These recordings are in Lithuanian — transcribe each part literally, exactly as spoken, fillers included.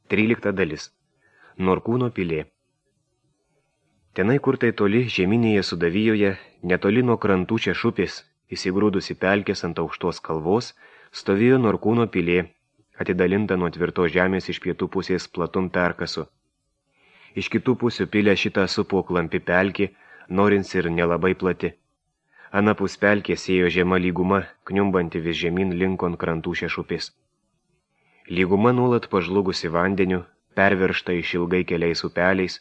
Trylikta dalis. Norkūno pilė. Tenai, kur tai toli žeminėje Sudavijoje, netoli nuo krantų Češupės, įsigrūdusi pelkės ant aukštos kalvos, stovėjo Norkūno pilė, atidalinta nuo tvirtos žemės iš pietų pusės platum perkasu. Iš kitų pusių pilę šitą supo klampi pelkį, norins ir nelabai plati. Anapus pelkės ėjo žema lyguma, kniumbanti vis žemyn linkon krantų Češupės. Lyguma nuolat pažlugusi vandeniu, perveršta išilgai keliais upeliais,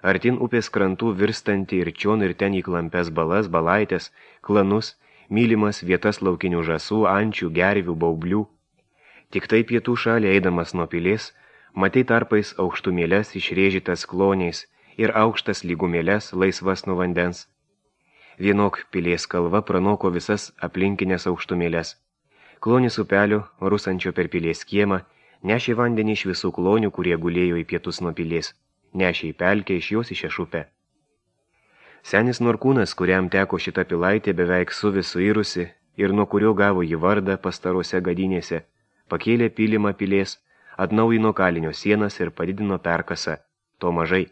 artin upės krantų virstanti ir čion ir ten į klampes balas, balaitės, klanus, mylimas vietas laukinių žasų, ančių, gervių, baublių. Tik tai pietų šalį eidamas nuo pilės, matei tarpais aukštumėles išrėžytas kloniais ir aukštas lygumėles laisvas nuo vandens. Vienok pilės kalva pranoko visas aplinkinės aukštumėles. Klonis upelio, rusančio per pilės kiemą, nešė vandenį iš visų klonių, kurie gulėjo į pietus nuo pilės, nešė į pelkę iš jos į Češupę. Senis Norkūnas, kuriam teko šita pilaitė beveik suvis suirusi ir nuo kurio gavo jį vardą pastarose gadynėse, pakėlė pylimą pilės, atnaujino kalinio sienas ir padidino perkasą, to mažai.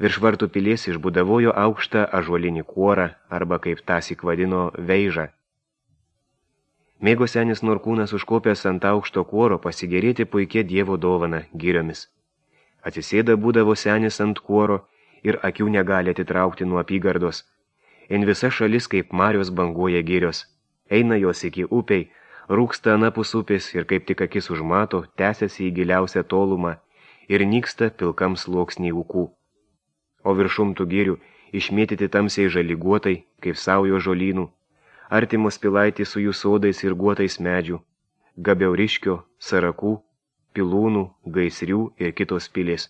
Virš vartų pilės išbudavojo aukštą ąžuolinį kuorą, arba kaip tąsyk vadino veižą. Mėgo senis Norkūnas užkopęs ant aukšto kuoro pasigėrėti puikia Dievo dovana giriomis. Atsisėda būdavo senis ant kuoro ir akių negali atitraukti nuo apygardos. En visa šalis kaip marios banguoja girios. Eina jos iki upiai, rūksta anapus upės ir kaip tik akis užmato, tęsiasi į giliausią tolumą ir nyksta pilkam sluoksniai ūkų. O viršum tų girių išmėtyti tamsiai žaliguotai, kaip saujo žolynų, artimos pilaitį su jų sodais ir guotais medžių, Gabiauriškio, Sarakų, Pilūnų, Gaisrių ir kitos pilės.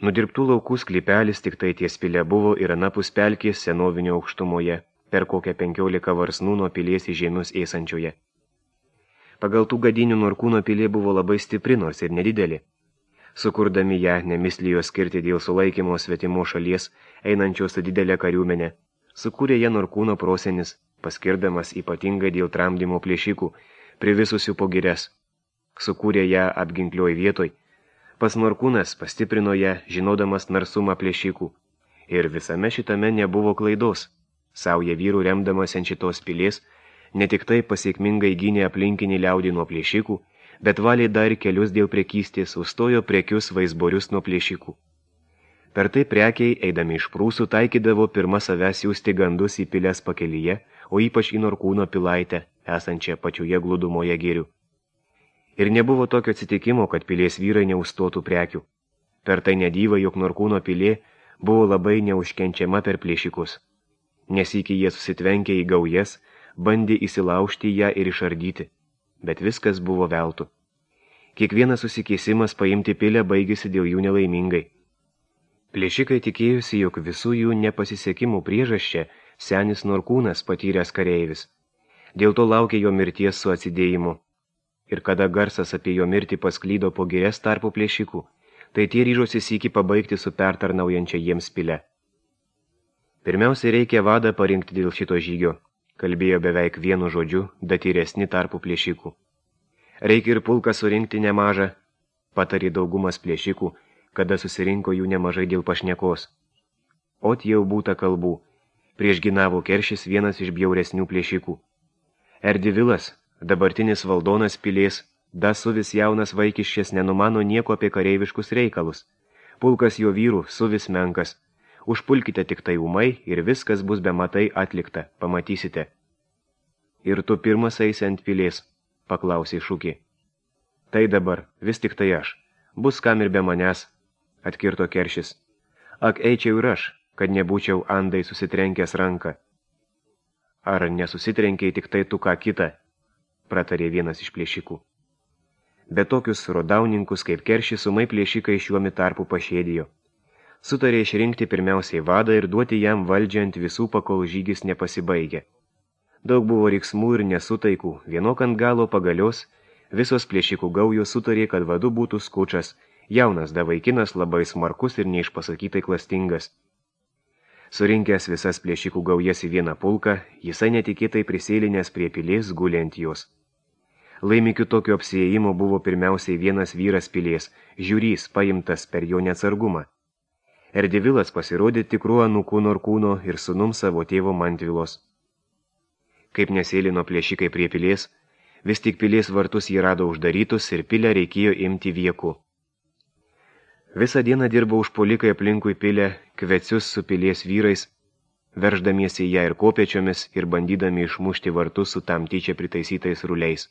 Nudirbtų laukų sklypelis tik tai ties pilė buvo ir anapus pelkės senovinio aukštumoje, per kokią penkiolika varsnų nuo pilies į žemius eisančioje. Pagal tų gadinių Norkūno pilė buvo labai stipri, nors ir nedidelė. Sukurdami ją nemislijo skirti dėl sulaikymo svetimo šalies, einančios su didelė kariuomenė. Sukūrė ją Norkūno prosenis, paskirdamas ypatingai dėl tramdymo plėšikų, privisusių po girias. Sukūrė ją apginklioj vietoj. Pas Norkūnas pastiprino ją, žinodamas narsumą plėšikų. Ir visame šitame nebuvo klaidos. Sauja vyrų remdamas ant šitos pilės, ne tik tai pasiekmingai gynė aplinkinį liaudį nuo plėšikų, bet valė dar kelius dėl prekystės, užstojo prekius vaizborius nuo plėšikų. Per tai prekiai, eidami iš Prūsų, taikydavo pirmą savęs siųsti gandus į pilės pakelyje, o ypač į Norkūno pilaitę, esančią pačioje glūdumoje girių. Ir nebuvo tokio atsitikimo, kad pilės vyrai neužstotų prekių. Per tai nedyva, jog Norkūno pilė buvo labai neužkenčiama per plėšikus. Nesyki jie susitvenkė į gaujas, bandė įsilaužti ją ir išardyti, bet viskas buvo veltui. Kiekvienas susikėsimas paimti pilę baigėsi dėl jų nelaimingai. Plėšikai tikėjusi, jog visų jų nepasisekimų priežasčia senis Norkūnas patyręs kareivis. Dėl to laukė jo mirties su atsidėjimu. Ir kada garsas apie jo mirtį pasklydo po girias tarpu plėšikų, tai tie ryžosi sykį pabaigti su pertarnaujančia jiems pilę. Pirmiausia, reikia vadą parinkti dėl šito žygio, kalbėjo beveik vienu žodžiu, datyresni tarpu plėšikų. Reikia ir pulką surinkti nemažą, patarė daugumas plėšikų, kada susirinko jų nemažai dėl pašnekos. Ot jau būta kalbų, priešginavo Keršis vienas iš bjauresnių plėšikų. Erdivilas, dabartinis valdonas pilės, da suvis jaunas vaikiščias nenumano nieko apie kareiviškus reikalus. Pulkas jo vyrų suvis menkas. Užpulkite tik tai umai ir viskas bus be matai atlikta, pamatysite. Ir tu pirmas eisi ant pilės, paklausė Šukė. Tai dabar, vis tik tai aš, bus kam ir be manęs, atkirto Keršis. Ak, eičiau ir aš, kad nebūčiau andai susitrenkęs ranką. Ar nesusitrenkiai tik tai tu ką kitą, pratarė vienas iš plėšikų. Bet tokius rodauninkus kaip Keršis umai plėšikai šiuomi tarpu pašėdijo. Sutarė išrinkti pirmiausiai vadą ir duoti jam valdžią ant visų, pakol žygis nepasibaigė. Daug buvo riksmų ir nesutaikų, vienok ant galo pagalios, visos plėšikų gaujos sutarė, kad vadu būtų Skučas, jaunas da vaikinas labai smarkus ir neišpasakytai klastingas. Surinkęs visas plėšikų gaujas į vieną pulką, jisai netikėtai prisėlinęs prie pilės gulė ant jos. Laimikiu tokio apsiėjimo buvo pirmiausiai vienas vyras pilies, žiūrys, paimtas per jo neatsargumą. Erdivilas pasirodė tikruo anūku Norkūno ir sūnum savo tėvo Mantvilos. Kaip nesėlino plėšikai prie pilies, vis tik pilies vartus jį rado uždarytus ir pilę reikėjo imti vieku. Visą dieną dirbo užpuolikai aplinkui pilę, kvecius su pilies vyrais, verždamiesi ją ir kopėčiomis ir bandydami išmušti vartus su tam tyčia pritaisytais ruliais.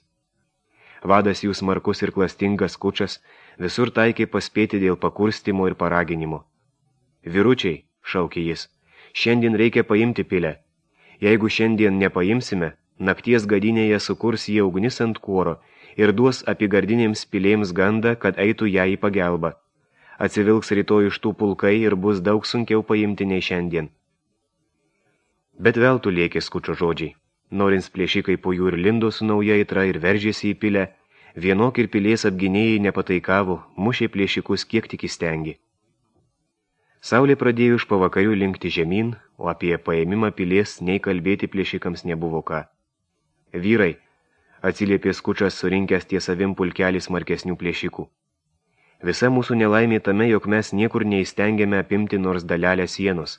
Vadas jų smarkus ir klastingas Skučas visur taikė paspėti dėl pakurstimo ir paraginimo. Vyručiai, šaukė jis, šiandien reikia paimti pilę. Jeigu šiandien nepaimsime, nakties gadinėje sukurs jie ugnis ant kuoro ir duos apigardinėms pilėms gandą, kad eitų ją į pagelbą. Atsivilks rytoj iš tų pulkai ir bus daug sunkiau paimti nei šiandien. Bet veltui lėkė Skučio žodžiai. Norins plėšikai po jų ir lindo su nauja aitra ir veržėsi į pilę, vienok ir pilies apginėjai nepataikavo, mušė plėšikus kiek tik įstengi. Saulė pradėjo iš pavakarių linkti žemyn, o apie paėmimą pilies nei kalbėti plėšikams nebuvo ką. Vyrai, atsiliepė Skučas surinkęs ties savim pulkelį smarkesnių plėšikų. Visa mūsų nelaimė tame, jog mes niekur neįstengėme apimti nors dalelę sienos.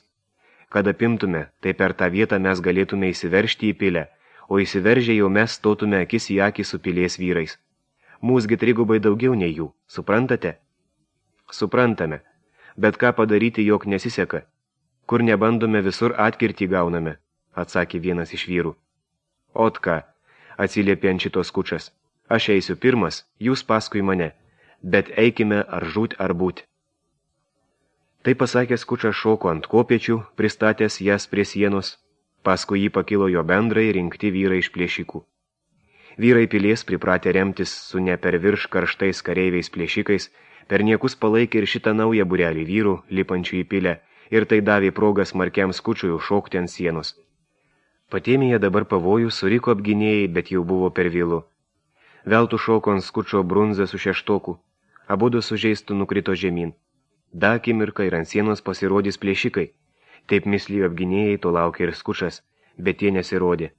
Kad apimtume, tai per tą vietą mes galėtume įsiveržti į pilę, o įsiveržę jau mes stotume akis į akį su pilies vyrais. Mūsgi trigubai daugiau nei jų, suprantate? Suprantame, bet ką padaryti, jog nesiseka. Kur nebandome, visur atkirtį gauname, atsakė vienas iš vyrų. Ot ką, atsiliepė ant šitos Skučas, aš eisiu pirmas, jūs paskui mane, bet eikime ar žūt ar būt. Tai pasakęs Skučas šoko ant kopėčių, pristatęs jas prie sienos, paskui jį pakilo jo bendrai rinkti vyrai iš plėšikų. Vyrai pilies pripratę remtis su ne per virš karštais kareiviais plėšikais, per niekus palaikė ir šitą naują būrelį vyrų, lipančių į pilę, ir tai davė progą smarkiam Skučui užšokti ant sienos. Patėmėje dabar pavojų suriko apginėjai, bet jau buvo per vėlu. Veltui šoko ant Skučio brunzą su šeštoku, abudu sužeistų nukrito žemyn. Da akimirką ir ant sienos pasirodys plėšikai. Taip mislijo apginėjai, to laukė ir Skučas, bet jie nesirodė.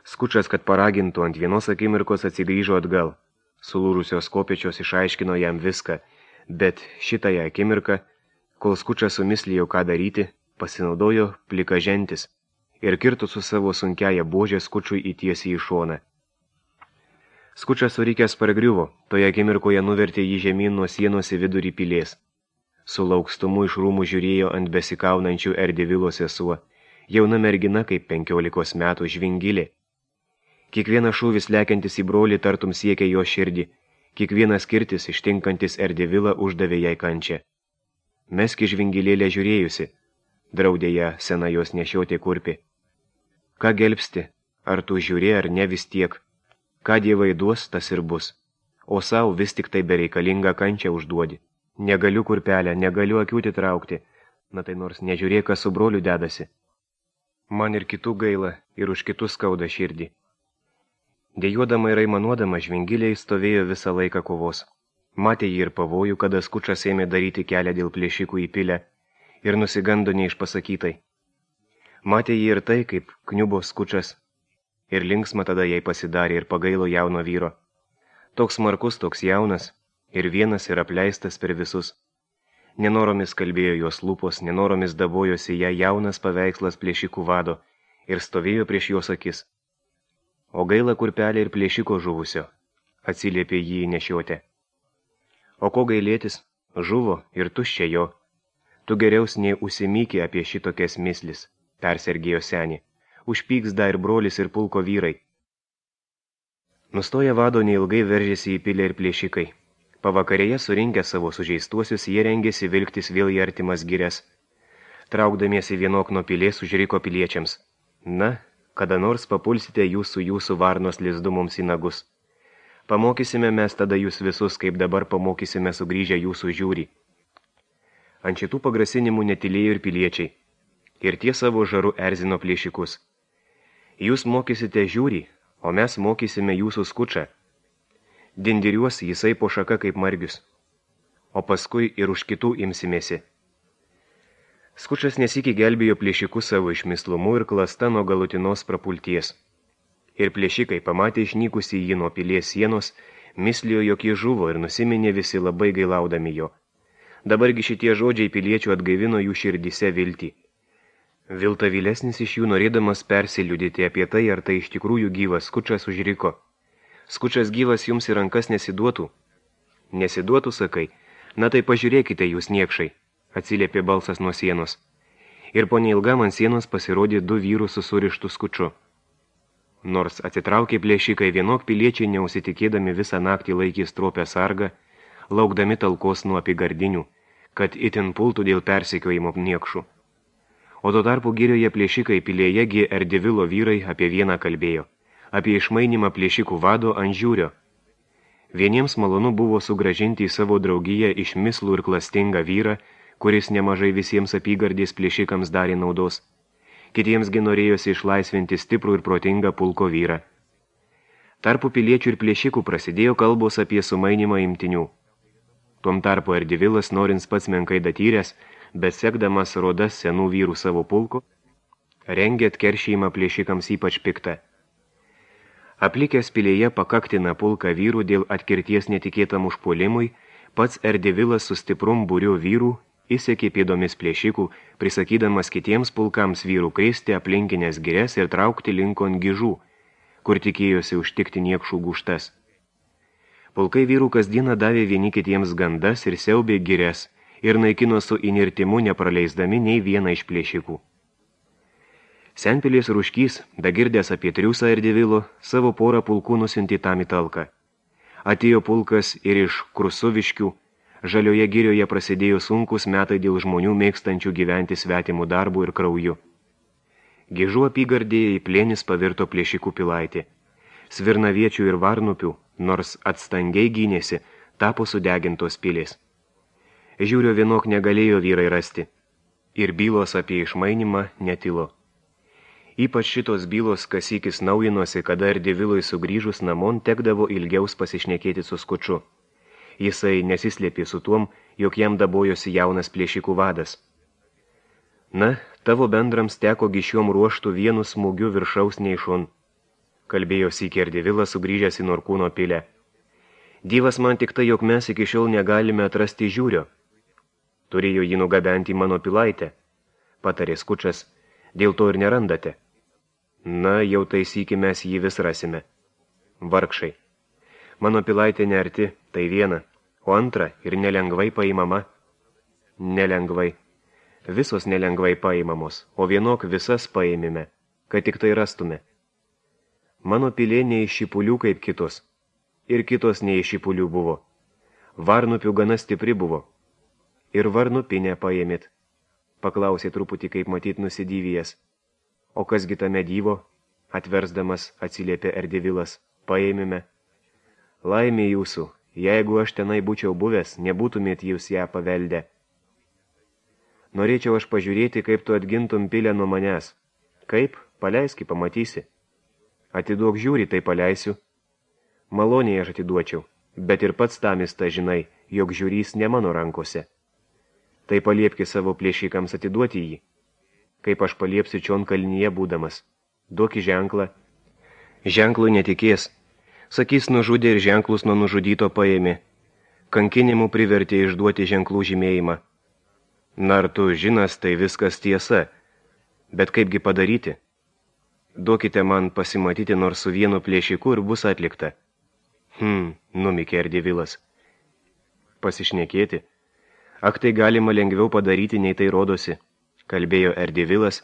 Skučas, kad paragintų, ant vienos akimirkos atsigrįžo atgal. Sulūrusios kopėčios išaiškino jam viską, bet šitąją akimirką, kol Skučas sumislijo ką daryti, pasinaudojo plikažentis ir kirto su savo sunkiaja buožė Skučui įtiesiai į šoną. Skučas surikęs pargriuvo, toje akimirkoje nuvertė jį žemyn nuo sienos į vidurį pilies. Su laukstumu iš rūmų žiūrėjo ant besikaunančių Erdivilo sesuo, jauna mergina kaip penkiolikos metų žvingilė. Kiekvienas šūvis lekiantis į brolį tartum siekia jo širdį, kiekvienas kirtis ištinkantis Erdivilą uždavė jai kančią. Meski žvingilėlė žiūrėjusi, draudė ją sena jos nešiotė kurpi. Ką gelbsti, ar tu žiūrė ar ne vis tiek, ką dievai duos, tas ir bus, o savo vis tik tai bereikalingą kančią užduodi. Negaliu kurpelę, negaliu akiūti traukti, na tai nors nežiūrėk, kas su broliu dedasi. Man ir kitų gaila, ir už kitus skauda širdį. Dejuodama ir aimanuodama žvingiliai stovėjo visą laiką kovos. Matė jį ir pavojų, kada Skučas ėmė daryti kelią dėl plėšikų į pilę, ir nusigando neišpasakytai. Matė jį ir tai, kaip kniubo Skučas, ir linksma tada jai pasidarė ir pagailo jauno vyro. Toks smarkus, toks jaunas, ir vienas ir apleistas per visus. Nenoromis kalbėjo jos lūpos, nenoromis dabojosi ją jaunas paveikslas plėšikų vado ir stovėjo prieš jos akis. O gaila kurpelė ir plėšiko žuvusio, atsiliepė jį nešiotė. O ko gailėtis, žuvo ir tuščia jo. Tu geriaus nei užsimykė apie šitokias mislis, persergėjo senį. Užpyks da ir brolis ir pulko vyrai. Nustoja vado neilgai veržėsi į pilę ir plėšikai. Pavakarėje surinkę savo sužeistuosius, jie rengėsi vilktis vėl į artimas girias. Traukdamiesi vienok nuo pilės užriko piliečiams. Na, kada nors papulsite jūs su jūsų varnos lizdu mums į nagus. Pamokysime mes tada jūs visus, kaip dabar pamokysime sugrįžę jūsų žiūrį. Ant šitų pagrasinimų netilėjo ir piliečiai. Ir tie savo žaru erzino plėšikus. Jūs mokysite žiūrį, o mes mokysime jūsų Skučą. Dindiriuos jisai po šaka kaip margius, o paskui ir už kitų imsimėsi. Skučas nesikį gelbėjo plėšikus savo išmislumu ir klasta nuo galutinos prapulties. Ir plėšikai pamatė išnykusi jį nuo pilies sienos, mislijo, jog jį žuvo ir nusiminė visi labai gailaudami jo. Dabargi šitie žodžiai piliečių atgaivino jų širdyse viltį. Vilta vilesnis iš jų norėdamas persiliudyti apie tai, ar tai iš tikrųjų gyvas Skučas užriko. Skučas gyvas jums į rankas nesiduotų. Nesiduotų, sakai, na tai pažiūrėkite jūs niekšai, atsiliepė balsas nuo sienos. Ir po neilgam ant sienos pasirodė du vyrų su surištu Skuču. Nors atsitraukė plėšikai, vienok piliečiai neusitikėdami visą naktį laikė stropę sargą, laukdami talkos nuo apygardinių, kad itin pultų dėl persekiojimo niekšų. O tuo tarpu girioje plėšikai pilėjegi Erdivilo vyrai apie vieną kalbėjo, apie išmainimą plėšikų vado ant žiūrio. Vieniems malonu buvo sugražinti į savo draugiją išmislų ir klastingą vyrą, kuris nemažai visiems apygardės plėšikams darė naudos. Kitiems gi norėjosi išlaisvinti stiprų ir protingą pulko vyrą. Tarpu piliečių ir plėšikų prasidėjo kalbos apie sumainimą imtinių. Tuom tarpu Erdivilas, norins pats menkai datyręs, bet sekdamas rodas senų vyrų savo pulko, rengė atkeršėjimą plėšikams ypač piktą. Aplikęs pilėje pakaktina pulką vyrų dėl atkirties netikėtam užpuolimui, pats Erdivilas su stiprum būriu vyrų įsekė pėdomis plėšikų, prisakydamas kitiems pulkams vyrų krėsti aplinkinės girias ir traukti linkon gižų, kur tikėjosi užtikti niekšų gūštas. Pulkai vyrų kasdieną davė vieni kitiems gandas ir siaubė girias ir naikino su inirtimu nepraleisdami nei vieną iš plėšikų. Senpilės Ruškys, dagirdęs apie triūsą Erdivilo, savo porą pulkų nusiuntė tam į talką. Atėjo pulkas ir iš Krusuviškių. Žalioje girioje prasidėjo sunkus metai dėl žmonių mėgstančių gyventi svetimų darbų ir krauju. Gižų apygardėje į plėnis pavirto plėšikų pilaitė. Svirnaviečių ir varnupių, nors atstangiai gynėsi, tapo sudegintos pilės. Žiūrio vienok negalėjo vyrai rasti. Ir bylos apie išmainimą netilo. Ypač šitos bylos kasykis naujinosi, kada Erdivilui sugrįžus namon tekdavo ilgiaus pasišnekėti su Skuču. Jisai nesislėpė su tuom, jog jam dabojosi jaunas plėšikų vadas. Na, tavo bendrams teko gišiom ruoštų vienu smūgiu viršaus neišon, kalbėjo sykį Erdivilas sugrįžęs į Norkūno pilę. Dievas man tik tai, jog mes iki šiol negalime atrasti žiūrio. Turėjo jį nugabenti mano pilaitę, patarė Skučas, dėl to ir nerandate. Na, jau tai sykį mes jį vis rasime. Vargšai. Mano pilaitė nearti, tai viena, o antra ir nelengvai paimama. Nelengvai. Visos nelengvai paimamos, o vienok visas paėmime, kad tik tai rastume. Mano pilė ne iš šipulių kaip kitos, ir kitos ne iš šipulių buvo. Varnupių gana stipri buvo. Ir varnupinę paėmėt, paklausė truputį kaip matyt nusidyvijas. O kasgi tame dyvo, atversdamas atsiliepė Erdivilas, paėmime. Laimė jūsų, jeigu aš tenai būčiau buvęs, nebūtumėt jūs ją paveldę. Norėčiau aš pažiūrėti, kaip tu atgintum pilę nuo manęs. Kaip? Paleiski, pamatysi. Atiduok žiūri, tai paleisiu. Maloniai aš atiduočiau, bet ir pats tamis ta žinai, jog žiūrys ne mano rankose. Tai paliepki savo plėšikams atiduoti jį. Kaip aš paliepsiu čion kalnyje būdamas. Duoki ženklą. Ženklui netikės. Sakys, nužudė ir ženklus nuo nužudyto paėmė. Kankinimų privertė išduoti ženklų žymėjimą. Na, ar tu žinas, tai viskas tiesa. Bet kaipgi padaryti? Duokite man pasimatyti nors su vienu plėšiku ir bus atlikta. Hm, numikė Erdivilas. Pasišnekėti? Ak, tai galima lengviau padaryti, nei tai rodosi, kalbėjo Erdivilas,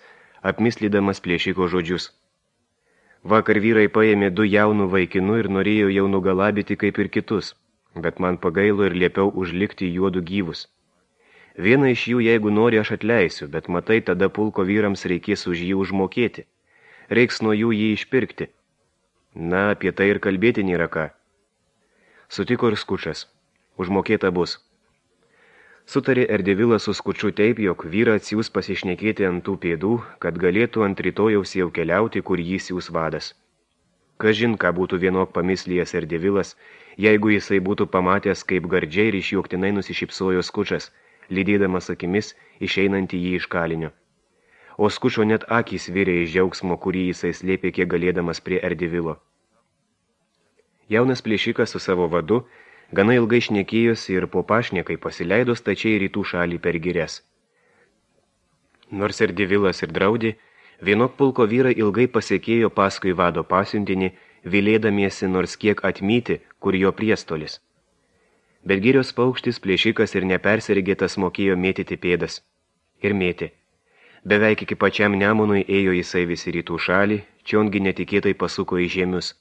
apmislydamas plėšiko žodžius. Vakar vyrai paėmė du jaunų vaikinų ir norėjo jau nugalabyti kaip ir kitus, bet man pagailo ir liepiau užlikti juodų gyvus. Vieną iš jų, jeigu nori, aš atleisiu, bet matai, tada pulko vyrams reikės už jį užmokėti. Reiks nuo jų jį išpirkti. Na, apie tai ir kalbėti nėra ką. Sutiko ir Skučas. Užmokėta bus. Sutarė Erdivilas su Skuču taip, jog vyrą atsiūs pasišnekėti ant tų pėdų, kad galėtų ant rytojaus jau keliauti, kur jį siūs vadas. Kažin, ką būtų vienok pamislijęs Erdivilas, jeigu jisai būtų pamatęs, kaip gardžiai ir išjuoktinai nusišypsojo Skučas, lydėdamas akimis išeinantį jį iš kalinio. o Skučo net akys virė iš džiaugsmo, kurį jisai slėpė kiek galėdamas prie Erdivilo. Jaunas plėšikas su savo vadu gana ilgai šnekėjosi ir po pašnekai pasileido stačiai rytų šalį per girias. Nors Erdivilas ir draudė, vienok pulko vyrai ilgai pasiekėjo paskui vado pasiuntinį, vilėdamiesi nors kiek atmyti, kur jo priestolis. Bet girios paukštis plėšikas ir nepersirgėtas mokėjo mėtyti pėdas. Ir mėtė. Beveik iki pačiam Nemunui ėjo jisai visi rytų šalį, čiongi netikėtai pasuko į žemius.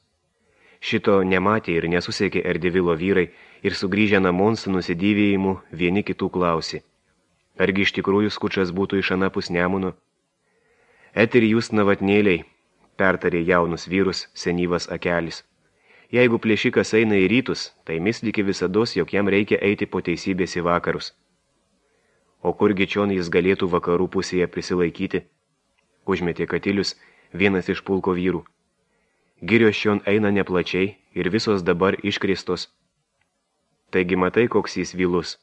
Šito nematė ir nesusiekė Erdivilo vyrai ir sugrįžę namon su nusidėvėjimu vieni kitų klausė. Argi iš tikrųjų Skučas būtų iš anapus Nemuno? Et ir jūs navatnėliai, pertarė jaunus vyrus senyvas akelis. Jeigu plėšikas eina į rytus, tai misliki visados, jog jam reikia eiti po teisybės į vakarus. O kurgi čion jis galėtų vakarų pusėje prisilaikyti? Užmetė Katilius, vienas iš pulko vyrų. Girios čion eina neplačiai ir visos dabar iškristos. Taigi matai, koks jis vilus.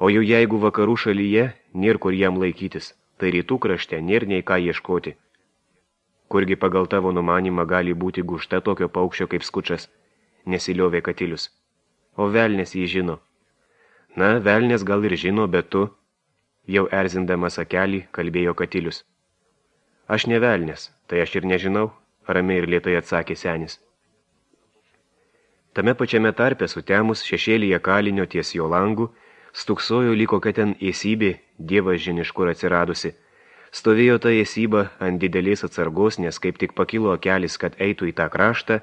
O jau jeigu vakarų šalyje, nėr kur jam laikytis, tai rytų krašte nėr nei ką ieškoti. Kurgi pagal tavo numanimą gali būti gušta tokio paukščio kaip Skučas, nesiliovė Katilius. O velnės jį žino. Na, velnės gal ir žino, bet tu, jau erzindamas akelį, kalbėjo Katilius. Aš ne velnės, tai aš ir nežinau, ramiai ir lėtai atsakė senis. Tame pačiame tarpe sutemus šešėlyje kalinio ties jo langų, stuksojo lyg kokia ten esybė, dievas žin iš kur atsiradusi. Stovėjo ta esyba ant didelės atsargos, nes kaip tik pakilo akelis, kad eitų į tą kraštą,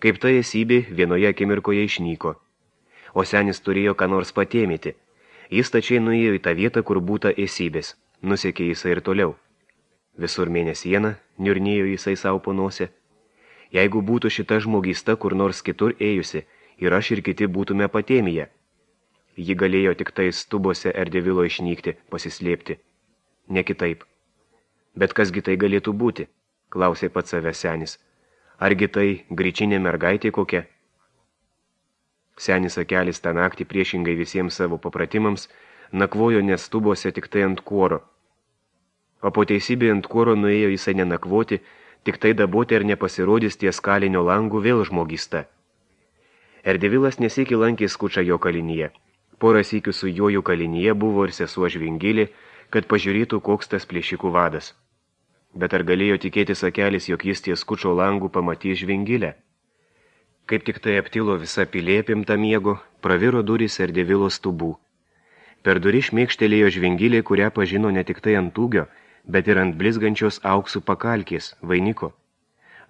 kaip ta esybė vienoje akimirkoje išnyko. O senis turėjo ką nors patėmyti. Jis tačiai nuėjo į tą vietą, kur būta esybės. Nusekė jisai ir toliau. Visur mėnesiena, niurnėjo jisai savo po nosę. Jeigu būtų šita žmogysta kur nors kitur ėjusi, ir aš ir kiti būtume patėmėje. Ji galėjo tik tai stubose Erdivilo išnykti, pasislėpti. Ne kitaip. Bet kasgi tai galėtų būti, klausė pats savęs senis. Argi tai gryčinė mergaitė kokia? Senis akelis tą naktį priešingai visiems savo papratimams nakvojo nestubose tik tai ant kuoro. O po teisybė ant kuoro nuėjo jisai nenakvoti, tik tai daboti ar nepasirodys ties kalinio langų vėl žmogysta. Erdivilas nesikį lankė Skučą jo kalinyje. Porą sykių su juoju kalinyje buvo ir sesuo Žvingilė, kad pažiūrėtų, koks tas plėšikų vadas. Bet ar galėjo tikėtis akelis, jog jis ties Skučo langų pamatys Žvingilę? Kaip tik tai aptilo visa pilė apimta miego, praviro durys Erdivilo stubų. Per durį šmėkštelėjo Žvingilė, kurią pažino ne tik tai ant ūgio, bet ir ant blizgančios auksų pakalkės, vainiko.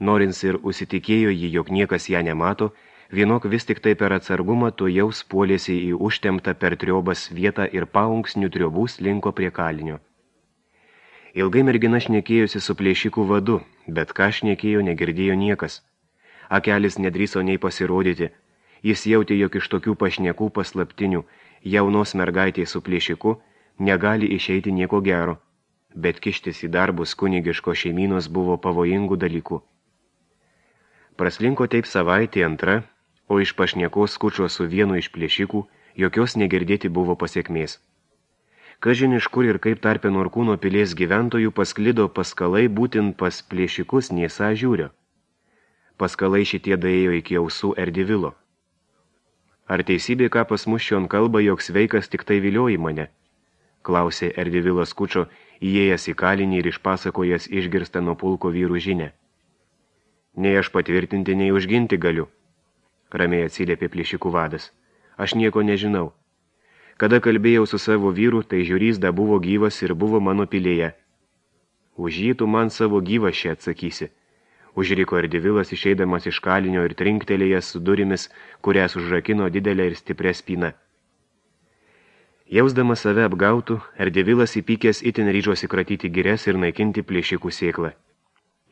Norins ir užsitikėjo jį, jog niekas ją nemato, vienok vis tik tai per atsargumą to jau spuolėsi į užtemptą per triobas vietą ir paunksnių triobų slinko prie kalinio. Ilgai mergina šnekėjosi su plėšikų vadu, bet ką šnekėjo negirdėjo niekas. Akelis nedrįso nei pasirodyti. Jis jautė, jog iš tokių pašnekų paslaptinių jaunos mergaitės su plėšiku negali išeiti nieko gero, bet kištis į darbus kunigiško šeimynos buvo pavojingų dalykų. Praslinko taip savaitė antra, o iš pašnekos Skučo su vienu iš plėšikų jokios negirdėti buvo pasiekmės. Kažin iš kur ir kaip tarpe Norkūno pilies gyventojų pasklido paskalai būtent pas plėšikus Niesa žiūrio. Paskalai šitie daėjo iki ausų Erdivilo. Ar teisybė, ką pas mus šion kalba, jog sveikas tik tai vilioji mane? Klausė Erdivilas Skučo, įėjęs į kalinį ir išpasakojęs išgirstą nuo pulko vyrų žinę. Nei aš patvirtinti, nei užginti galiu, ramiai atsiliepė plėšikų vadas. Aš nieko nežinau. Kada kalbėjau su savo vyru, tai žiūrys da buvo gyvas ir buvo mano pilėje. Už jį tu man savo gyvą šią atsakysi. Užriko Erdivilas išeidamas iš kalinio ir trinktelėjęs su durimis, kurias užrakino didelę ir stiprią spyną. Jausdamas save apgautų, Erdivilas įpykęs itin ryžosi kratyti girias ir naikinti plėšikų sėklą.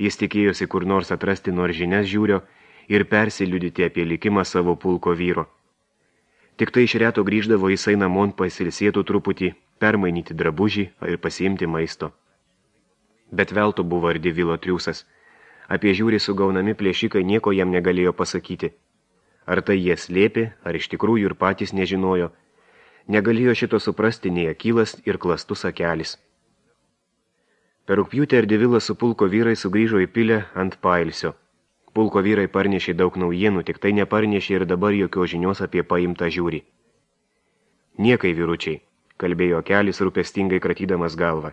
Jis tikėjosi kur nors atrasti nors žinias žiūrio ir persiliudyti apie likimą savo pulko vyro. Tik tai iš reto grįždavo jisai namon pasilsėtų truputį, permainyti drabužį ir pasiimti maisto. Bet velto buvo Erdivilo triūsas. Apie žiūrį sugaunami plėšikai nieko jam negalėjo pasakyti. Ar tai jie slėpė, ar iš tikrųjų ir patys nežinojo. Negalėjo šito suprasti nei akylas ir klastus akelis. Per rugpjūtį Erdivilas su pulko vyrai sugrįžo į pilę ant pailsio. Pulko vyrai parnešė daug naujienų, tik tai neparnešė ir dabar jokios žinios apie paimtą žiūrį. Niekai, vyručiai, kalbėjo Kelis rūpestingai kratydamas galvą.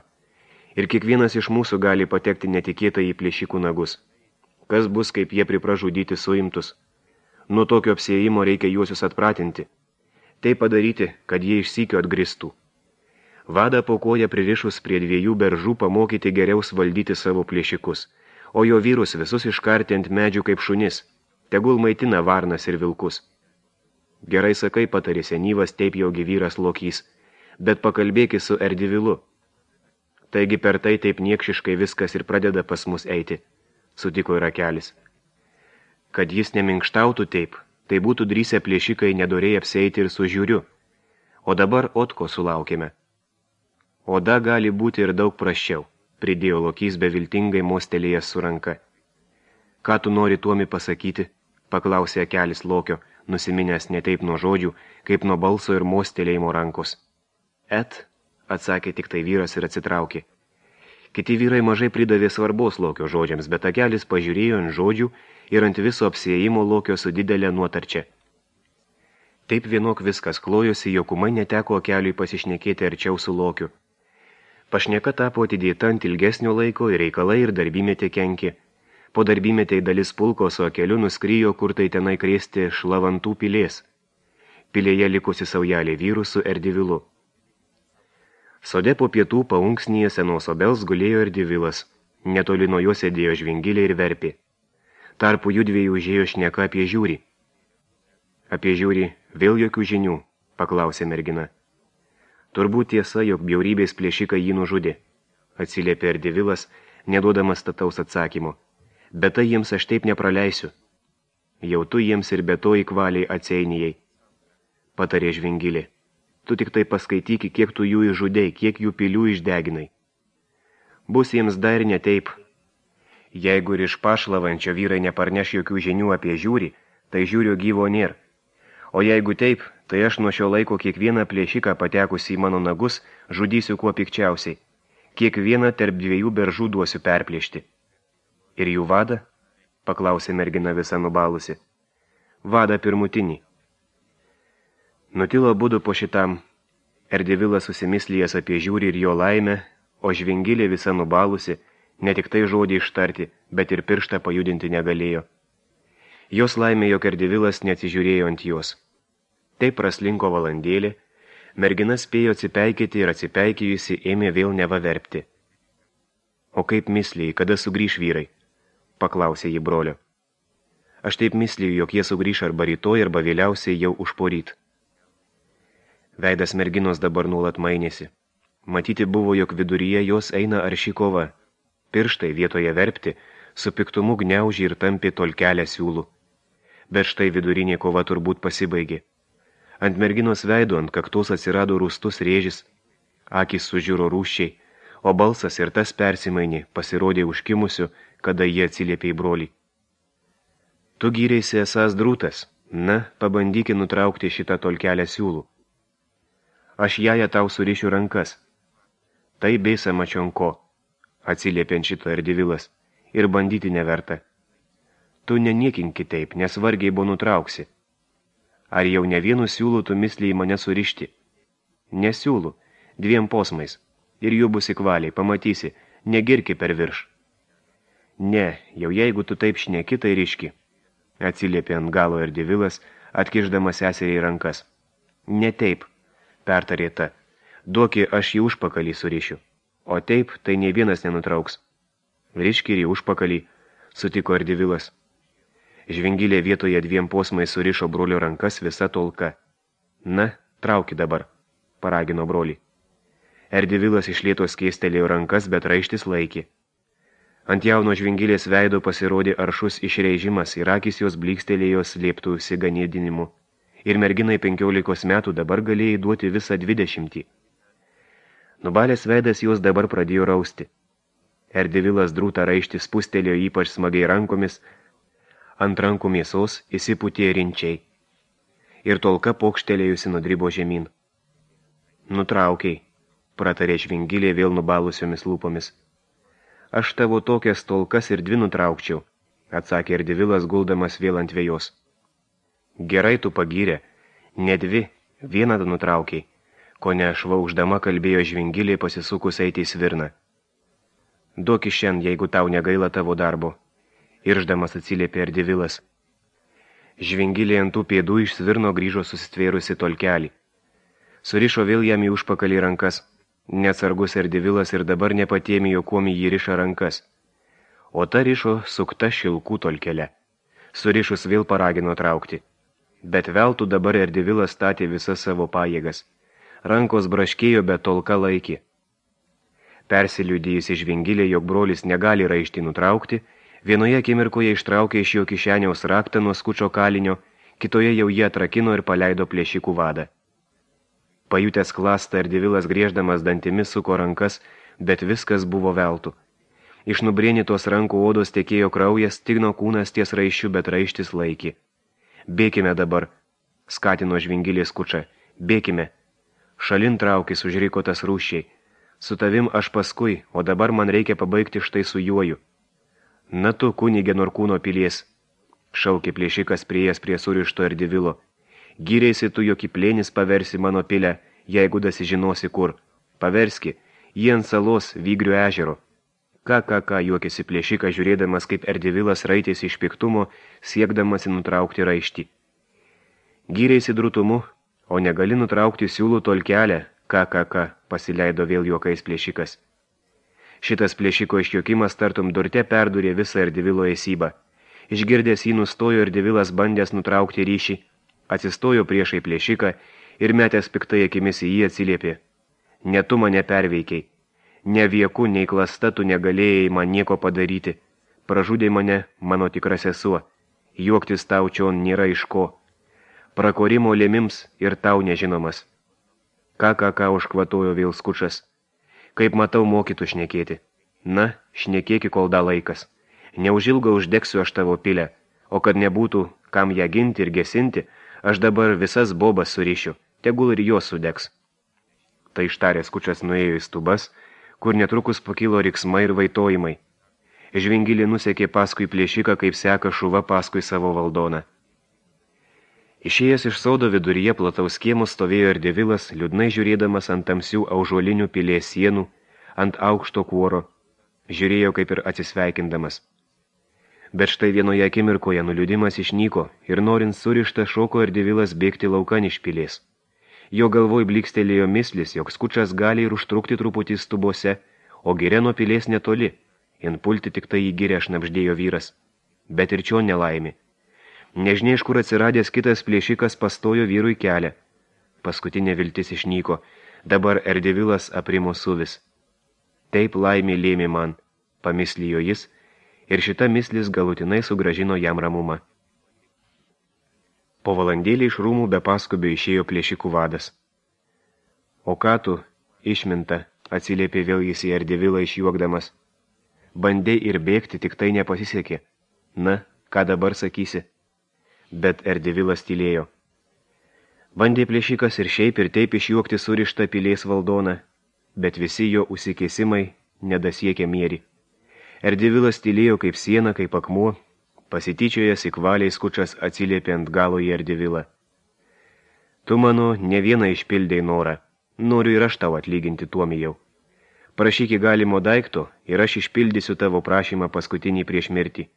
Ir kiekvienas iš mūsų gali patekti netikėtai į plėšikų nagus. Kas bus, kaip jie pripražudyti suimtus? Nuo tokio apsiėjimo reikia juosius atpratinti. Tai padaryti, kad jie išsykio atgristų. Vadą po koją pririšus prie dviejų beržų pamokyti geriau valdyti savo plėšikus, o jo vyrus visus iškarti ant medžių kaip šunis, tegul maitina varnas ir vilkus. Gerai sakai, patarė senyvas, taip jaugi vyras Lokys, bet pakalbėki su Erdivilu. Taigi per tai taip niekšiškai viskas ir pradeda pas mus eiti, sutiko ir Kelis. Kad jis neminkštautų taip, tai būtų drįsę plėšikai nedorėjai apsieiti ir su žiūriu, o dabar Otko sulaukėme. Oda gali būti ir daug prasčiau, pridėjo Lokys beviltingai mostelėjęs su ranka. Ką tu nori tuomi pasakyti? Paklausė Kelis Lokio, nusiminęs ne taip nuo žodžių, kaip nuo balso ir mostelėjimo rankos. Et, atsakė tik tai vyras ir atsitraukė. Kiti vyrai mažai pridavė svarbos Lokio žodžiams, bet Kelis pažiūrėjo ant žodžių ir ant viso apsiėjimo Lokio su didelė nuotarčia. Taip vienok viskas klojosi, jog ūmai neteko Keliui pasišnekėti arčiau su Lokiu. Pašneka tapo atidėta ant ilgesnio laiko ir reikalai ir darbymetė kenkė. Po darbymetė dalis pulko su Keliu nuskrijo, kur tai tenai krėsti Šlavantų pilės. Pilėje likusi saujelė vyrų su Erdivilu. Sode po pietų paunksnyje senos obels gulėjo Erdivilas. Netoli nuo jo sėdėjo Žvingilė ir Verpė. Tarpu judviejų užėjo šneka apie žiūrį. Apie žiūrį vėl jokių žinių, paklausė mergina. Turbūt tiesa, jog bjaurybės plėšikai jį nužudė, atsiliepė Erdivilas, neduodamas stataus atsakymo. Bet tai jiems aš taip nepraleisiu. Jau tu jiems ir be to įkvaliai atseinijai. Patarė Žvingilė. Tu tik tai paskaityki, kiek tu jų išžudei, kiek jų pilių išdeginai. Bus jiems dar ne taip. Jeigu ir iš Pašlavančio vyrai neparneš jokių žinių apie žiūrį, tai žiūrio gyvo nėr. O jeigu taip, tai aš nuo šio laiko kiekvieną plėšiką patekusi į mano nagus žudysiu kuo pikčiausiai. Kiekvieną tarp dviejų beržų duosiu perplėšti. Ir jų vadą? Paklausė mergina visa nubalusi. Vadą pirmutinį. Nutilo budu po šitam. Erdivilas susimislijęs apie žiūrį ir jo laimę, o Žvingilė visa nubalusi, ne tik tai žodį ištarti, bet ir pirštą pajudinti negalėjo. Jos laimė, jog Erdivilas neatsižiūrėjo ant jos. Taip praslinko valandėlė, mergina spėjo atsipeikėti ir atsipeikėjusi ėmė vėl nevaverpti. O kaip misliai, kada sugrįš vyrai? Paklausė jį brolio. Aš taip misliu, jog jie sugrįš arba rytoj, arba vėliausiai jau užporyt. Veidas merginos dabar nuolat mainėsi. Matyti buvo, jog viduryje jos eina arši kova. Pirštai vietoje verpti, su piktumu gniaužė ir tampė tolkelę siūlų. Bet štai vidurinė kova turbūt pasibaigė. Ant merginos veido ant kaktos atsirado rūstus rėžis, akys sužiuro rūščiai, o balsas ir tas persimainė, pasirodė užkimusiu, kada jie atsiliepė į brolį. Tu gyreisi esas drūtas, na, pabandyki nutraukti šitą tolkelę siūlų. Aš jaja tau surišiu rankas. Tai beisa mačionko, atsiliepė ant šito Erdivilas, ir bandyti neverta. Tu neniekink kitaip, nes vargiai buvo nutrauksi. Ar jau ne vienu siūlų tu misliai mane surišti? Nesiūlų, dviem posmais, ir jų bus įkvaliai, pamatysi, negirki per virš. Ne, jau jeigu tu taip šneki, tai ryški, atsiliepė ant galo Erdivilas, atkišdamas seseriai rankas. Ne taip, pertarė ta, duoki aš jį užpakalį surišiu, o taip tai nei vienas nenutrauks. Ryški ir į užpakalį, sutiko Erdivilas. Žvingilė vietoje dviem posmais surišo brolio rankas visa tolka. Na, trauki dabar, paragino brolį. Erdivilas iš lėtos keistelėjo rankas, bet raištis laikė. Ant jauno Žvingilės veido pasirodė aršus išreižimas ir akys jos blykstelėjo slėptųsi ganėdinimu. Ir merginai penkiolikos metų dabar galėjai duoti visą dvidešimtį. Nubalės veidas jos dabar pradėjo rausti. Erdivilas drūtą raištį spustelėjo ypač smagiai rankomis, ant rankų mėsos įsipūtė rinčiai. Ir tolka pokštelėjusi nudribo žemyn. Nutraukiai, pratarė Žvingilė vėl nubalusiomis lūpomis. Aš tavo tokias tolkas ir dvi nutraukčiau, atsakė Erdivilas guldamas vėl ant vėjos. Gerai tu pagyrė, ne dvi, vieną nutraukiai, ko ne švauždama kalbėjo Žvingilė pasisukus eiti į svirną. Duok iš šiandien, jeigu tau negaila tavo darbo, irždamas atsiliepė Erdivilas. Žvingilė ant tų pėdų iš svirno grįžo susitvėrusi tolkelį. Surišo vėl jam į užpakalį rankas. Neatsargus Erdivilas ir dabar nepatėmijo, kuom jį riša rankas. O ta rišo sukta šilkų tolkelė. Surišus vėl paragino traukti. Bet veltų dabar Erdivilas statė visas savo pajėgas. Rankos braškėjo, bet tolka laikė. Persiliudėjusi Žvingilė, jog brolis negali raištį nutraukti, vienoje akimirkoje ištraukė iš jo kišeniaus raktą nuo skučio kalinio, kitoje jau jie atrakino ir paleido plėšikų vadą. Pajutęs klastą, Erdivilas grieždamas dantimis suko rankas, bet viskas buvo veltų. Iš nubrėnytos rankų odos tekėjo kraujas, stigno kūnas ties raiščių, bet raištis laikė. Bėkime dabar, skatino Žvingilė skučą, bėkime. Šalin traukis, užriko tas rūščiai. Su tavim aš paskui, o dabar man reikia pabaigti štai su juoju. Na tu, kunigė Norkūno pilies, šaukė plėšikas priėjęs prie surišto Erdivilo. Gyrėsi tu, jog į plėnis paversi mano pilę, jeigu dasižinosi kur. Paverski, jį ant salos Vygrių ežero. Ką, ką, ką, juokėsi plėšikas, žiūrėdamas, kaip Erdivilas raitėsi iš piktumo, siekdamas nutraukti raištį. Gyrėsi drutumu, o negali nutraukti siūlų tolkelę, ką, ką, ką, pasileido vėl juokais plėšikas. Šitas plėšiko išjuokimas tartum durte perdurė visą Erdivilo esybą. Išgirdęs jį nustojo Erdivilas bandęs nutraukti ryšį, atsistojo priešai plėšiką ir metęs piktai akimis į jį atsiliepė. Ne tu mane perveikiai. Ne vieku, nei klasta tu negalėjai man nieko padaryti. Pražudė mane mano tikra sesuo. Juoktis tau čion nėra iš ko. Prakorimo lėmims ir tau nežinomas. Ką, ką, ką užkvatojo vėl skučas. Kaip matau, mokytų šnekėti. Na, šnekėki, kol da laikas. Neužilgo uždegsiu aš tavo pilę, o kad nebūtų kam ją ginti ir gesinti, aš dabar visas bobas surišiu, tegul ir jos sudegs. Tai ištaręs skučas nuėjo į stubas, kur netrukus pakilo riksmai ir vaitojimai. Žvingilė nusekė paskui plėšiką, kaip seka šuva paskui savo valdoną. Išėjęs iš sodo viduryje plataus kiemo stovėjo Erdivilas, liūdnai žiūrėdamas ant tamsių aužuolinių pilies sienų, ant aukšto kuoro, žiūrėjo kaip ir atsisveikindamas. Bet štai vienoje akimirkoje nuliūdimas išnyko ir norint surištą šoko Erdivilas bėgti laukan iš pilies. Jo galvoj blykstelėjo mislis, jog skučas gali ir užtrukti truputį stubose, o giria nuo pilies netoli, inpulti tik tai į girę šnabždėjo vyras. Bet ir čio nelaimi. Nežinia, iš kur atsiradęs kitas plėšikas pastojo vyrui kelią. Paskutinė viltis išnyko, dabar Erdivilas aprimo suvis. Taip laimė lėmė man, pamislijo jis, ir šita mislis galutinai sugražino jam ramumą. Po valandėlį iš rūmų be paskubio išėjo plėšikų vadas. O ką tu, išminta, atsiliepė vėl jis į Erdivilą išjuokdamas. Bandei ir bėgti, tik tai nepasisekė. Na, ką dabar sakysi? Bet Erdivilas tylėjo. Bandė plėšikas ir šiaip ir taip išjuokti surištą pilies valdoną, bet visi jo užsikėsimai nedasiekė mėrį. Erdivilas tylėjo kaip siena, kaip akmuo, pasityčiojas įkvaliai skučas atsiliepė ant galo į Erdivilą. Tu mano ne vieną išpildei norą, noriu ir aš tau atlyginti tuomijau. Prašyk į galimo daikto ir aš išpildysiu tavo prašymą paskutinį prieš mirtį.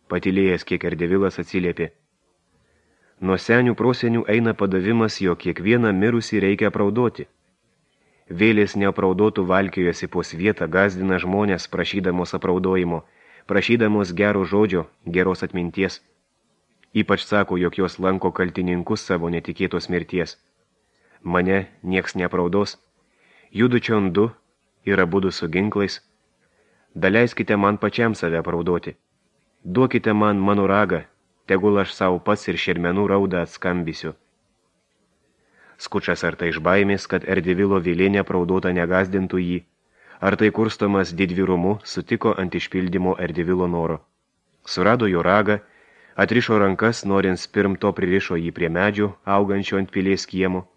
Patylėjęs kiek Erdivilas atsiliepė. Nuo senių prosenių eina padavimas, jog kiekvieną mirusį reikia apraudoti. Vėlės neapraudotų valkiojosi po svietą, gazdina žmonės prašydamos apraudojimo, prašydamos gero žodžio, geros atminties. Ypač sako, jog jos lanko kaltininkus savo netikėtos mirties. Mane nieks neapraudos. Judu čion du ir abudu su ginklais. Daleiskite man pačiam save apraudoti. Duokite man mano ragą, tegul aš savo pats ir šermenų raudą atskambysiu. Skučas ar tai iš baimės, kad Erdivilo vėlė neapraudota negazdintų jį, ar tai kurstomas didvyrumu sutiko ant išpildymo Erdivilo noro. Surado jo ragą, atrišo rankas, norint spirmto pririšo jį prie medžio, augančio ant pilies kiemo.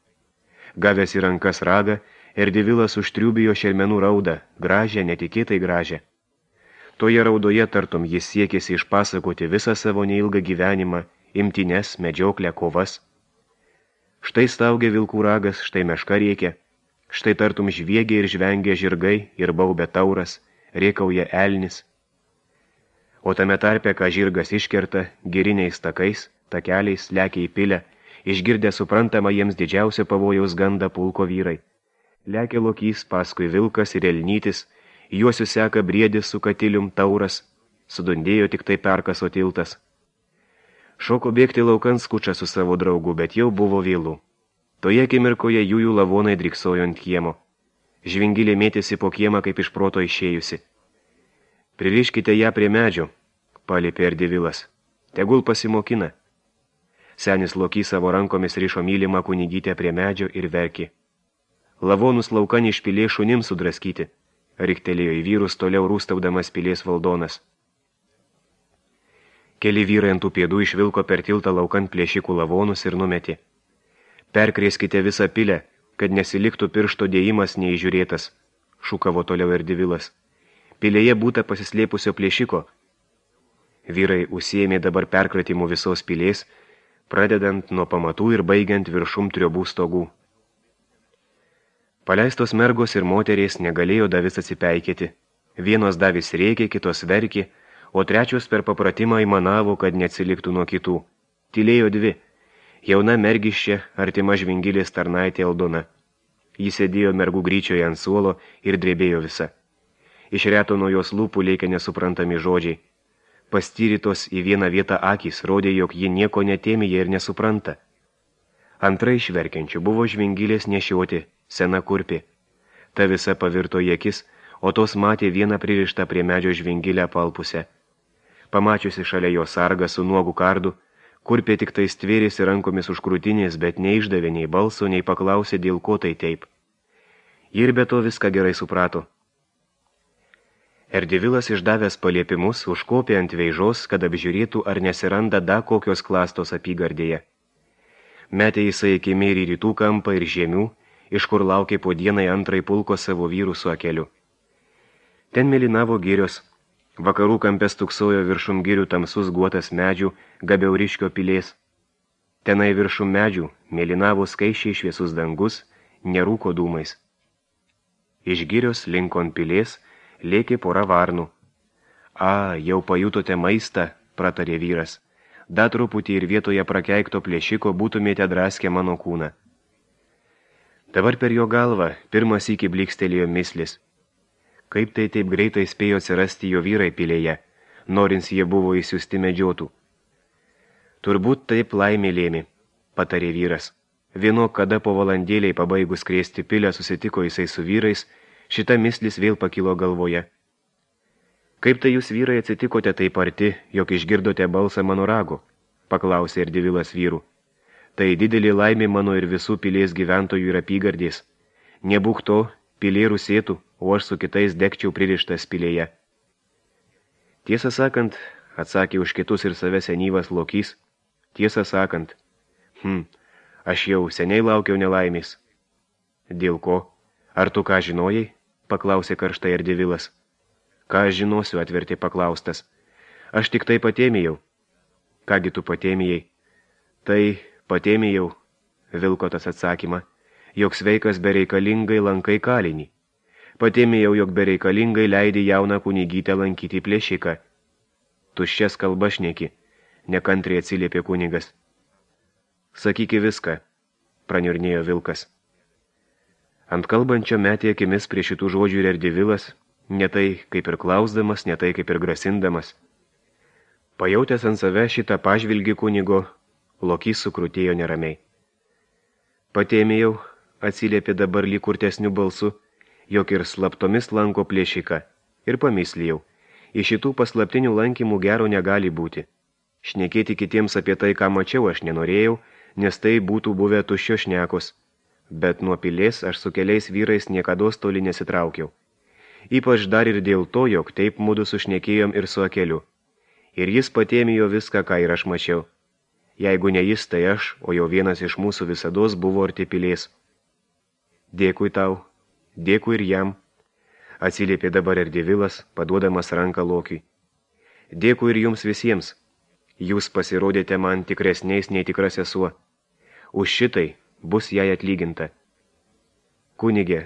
Gavęs į rankas ragą, Erdivilas užtriubijo šermenų raudą, gražią, netikėtai gražią. Toje raudoje tartum jis siekėsi išpasakoti visą savo neilgą gyvenimą, imtynes, medžioklę, kovas. Štai staugia vilkų ragas, štai meška rėkia, štai tartum žviegia ir žvengia žirgai ir baubia tauras, rėkauja elnis. O tame tarpe, ką žirgas iškerta, giriniais takais, takeliais lekia į pilę, išgirdę suprantamą jiems didžiausio pavojaus gandą pulko vyrai. Lekia lokys, paskui vilkas ir elnytis, juosiu seka briedis su katilium tauras, sudundėjo tik tai perkaso tiltas. Šoko bėgti laukan skučia su savo draugu, bet jau buvo vėlų. Toje akimirkoje jųjų lavonai driksojo ant kiemo. Žvingilė mėtėsi po kiemą kaip iš proto išėjusi. Pririškite ją prie medžio, paliepė Erdivilas. Tegul pasimokina. Senis lokys savo rankomis rišo mylimą kunigytę prie medžio ir verkė. Lavonus laukan išpilė šunims sudraskyti, riktelėjo į vyrus toliau rūstaudamas pilės valdonas. Keli vyrai ant tų pėdų išvilko per tiltą laukan plėšikų lavonus ir numetė. Perkrėskite visą pilę, kad nesiliktų piršto dėjimas neįžiūrėtas, šūkavo toliau Erdivilas. Pilėje būta pasislėpusio plėšiko. Vyrai užsiėmė dabar perkratimų visos pilės, pradedant nuo pamatų ir baigiant viršum triobų stogų. Paleistos mergos ir moterės negalėjo davis atsipeikėti. Vienos davis rėkė, kitos verkė, o trečios per papratimą įmanavo, kad neatsiliktų nuo kitų. Tylėjo dvi. Jauna mergiščia, artima žvingilės tarnaitė Aldona. Ji sėdėjo mergų gryčioje ant suolo ir drebėjo visa. Iš reto nuo jos lūpų lėkė nesuprantami žodžiai. Pastyrytos į vieną vietą akys rodė, jog ji nieko netėmėje ir nesupranta. Antra iš verkiančių buvo žvingilės nešioti, sena kurpė. Ta visa pavirto į akis, o tos matė vieną pririštą prie medžio žvingilę palpusę. Pamačiusi šalia jo sargą su nuogu kardu, kurpė tik tai stvėrėsi rankomis už krūtinės, bet neišdavė nei balso, nei paklausė, dėl ko tai taip. Ir be to viską gerai suprato. Erdivilas išdavęs paliepimus užkopė ant veižos, kad apžiūrėtų, ar nesiranda da kokios klastos apygardėje. Metė jisai iki mėrį rytų kampą ir žemių, iš kur laukė po dienai antrai pulko savo vyrų su akeliu. Ten mėlynavo girios. Vakarų kampes tuksojo viršum girių tamsus guotas medžių, Gabiauriškio pilės. Tenai viršum medžių mėlynavo skaičiai šviesus dangus, nerūko dūmais. Iš girios linkon pilės lėkė pora varnų. A, jau pajutote maistą, pratarė vyras. Da truputį ir vietoje prakeikto plėšiko būtumėte draskę mano kūną. Dabar per jo galvą pirmas iki blikstelėjo mislis. Kaip tai taip greitai spėjo atsirasti jo vyrai pilėje, norins jie buvo įsiusti medžiotų. Turbūt taip laimė lėmė, patarė vyras. Vieno, kada po valandėliai pabaigus krėsti pilę susitiko jisai su vyrais, šita mislis vėl pakilo galvoje. Kaip tai jūs vyrai atsitikote taip arti, jog išgirdote balsą mano rago, paklausė Erdivilas vyrų. Tai didelė laimė mano ir visų pilės gyventojų ir apygardės. Nebūk to, pilė rusėtų, o aš su kitais degčiau pririštas pilėje. Tiesą sakant, atsakė už kitus ir save senyvas lokys, tiesą sakant, hm, aš jau seniai laukiau nelaimės. Dėl ko? Ar tu ką žinojai? Paklausė karštai Erdivilas. Ką aš žinosiu, atvertė paklaustas. Aš tik tai patėmėjau. Kągi tu patėmėjai? Tai patėmėjau, vilko tas atsakymą, jog sveikas bereikalingai lankai kalinį. Patėmėjau, jog bereikalingai leidai jauną kunigytę lankyti plėšiką. Tuščias kalba šneki, nekantriai atsiliepė kunigas. Sakyki viską, praniurnėjo vilkas. Ant kalbančio metė akimis prie šitų žodžių ir Erdivilas, ne tai kaip ir klausdamas, ne tai kaip ir grasindamas. Pajautęs ant save šitą pažvilgį kunigo, lokys sukrutėjo neramiai. Patėmėjau, atsiliepė dabar lyg kurtesniu balsu, jog ir slaptomis lanko plėšiką, ir pamislijau, iš šitų paslaptinių lankymų gero negali būti. Šnekėti kitiems apie tai, ką mačiau, aš nenorėjau, nes tai būtų buvę tuščio šnekos, bet nuo pilės aš su keliais vyrais niekados toli nesitraukiau. Ypač dar ir dėl to, jog taip mudu sušnekėjom ir su akeliu. Ir jis patėmijo viską, ką ir aš mačiau. Jeigu ne jis, tai aš, o jau vienas iš mūsų visados buvo arti pilės. Dėkui tau, dėkui ir jam. Atsiliepė dabar Erdevilas, paduodamas ranką Lokiui. Dėkui ir jums visiems. Jūs pasirodėte man tikresniais nei tikra sesuo. Už šitai bus jai atlyginta. Kunigė,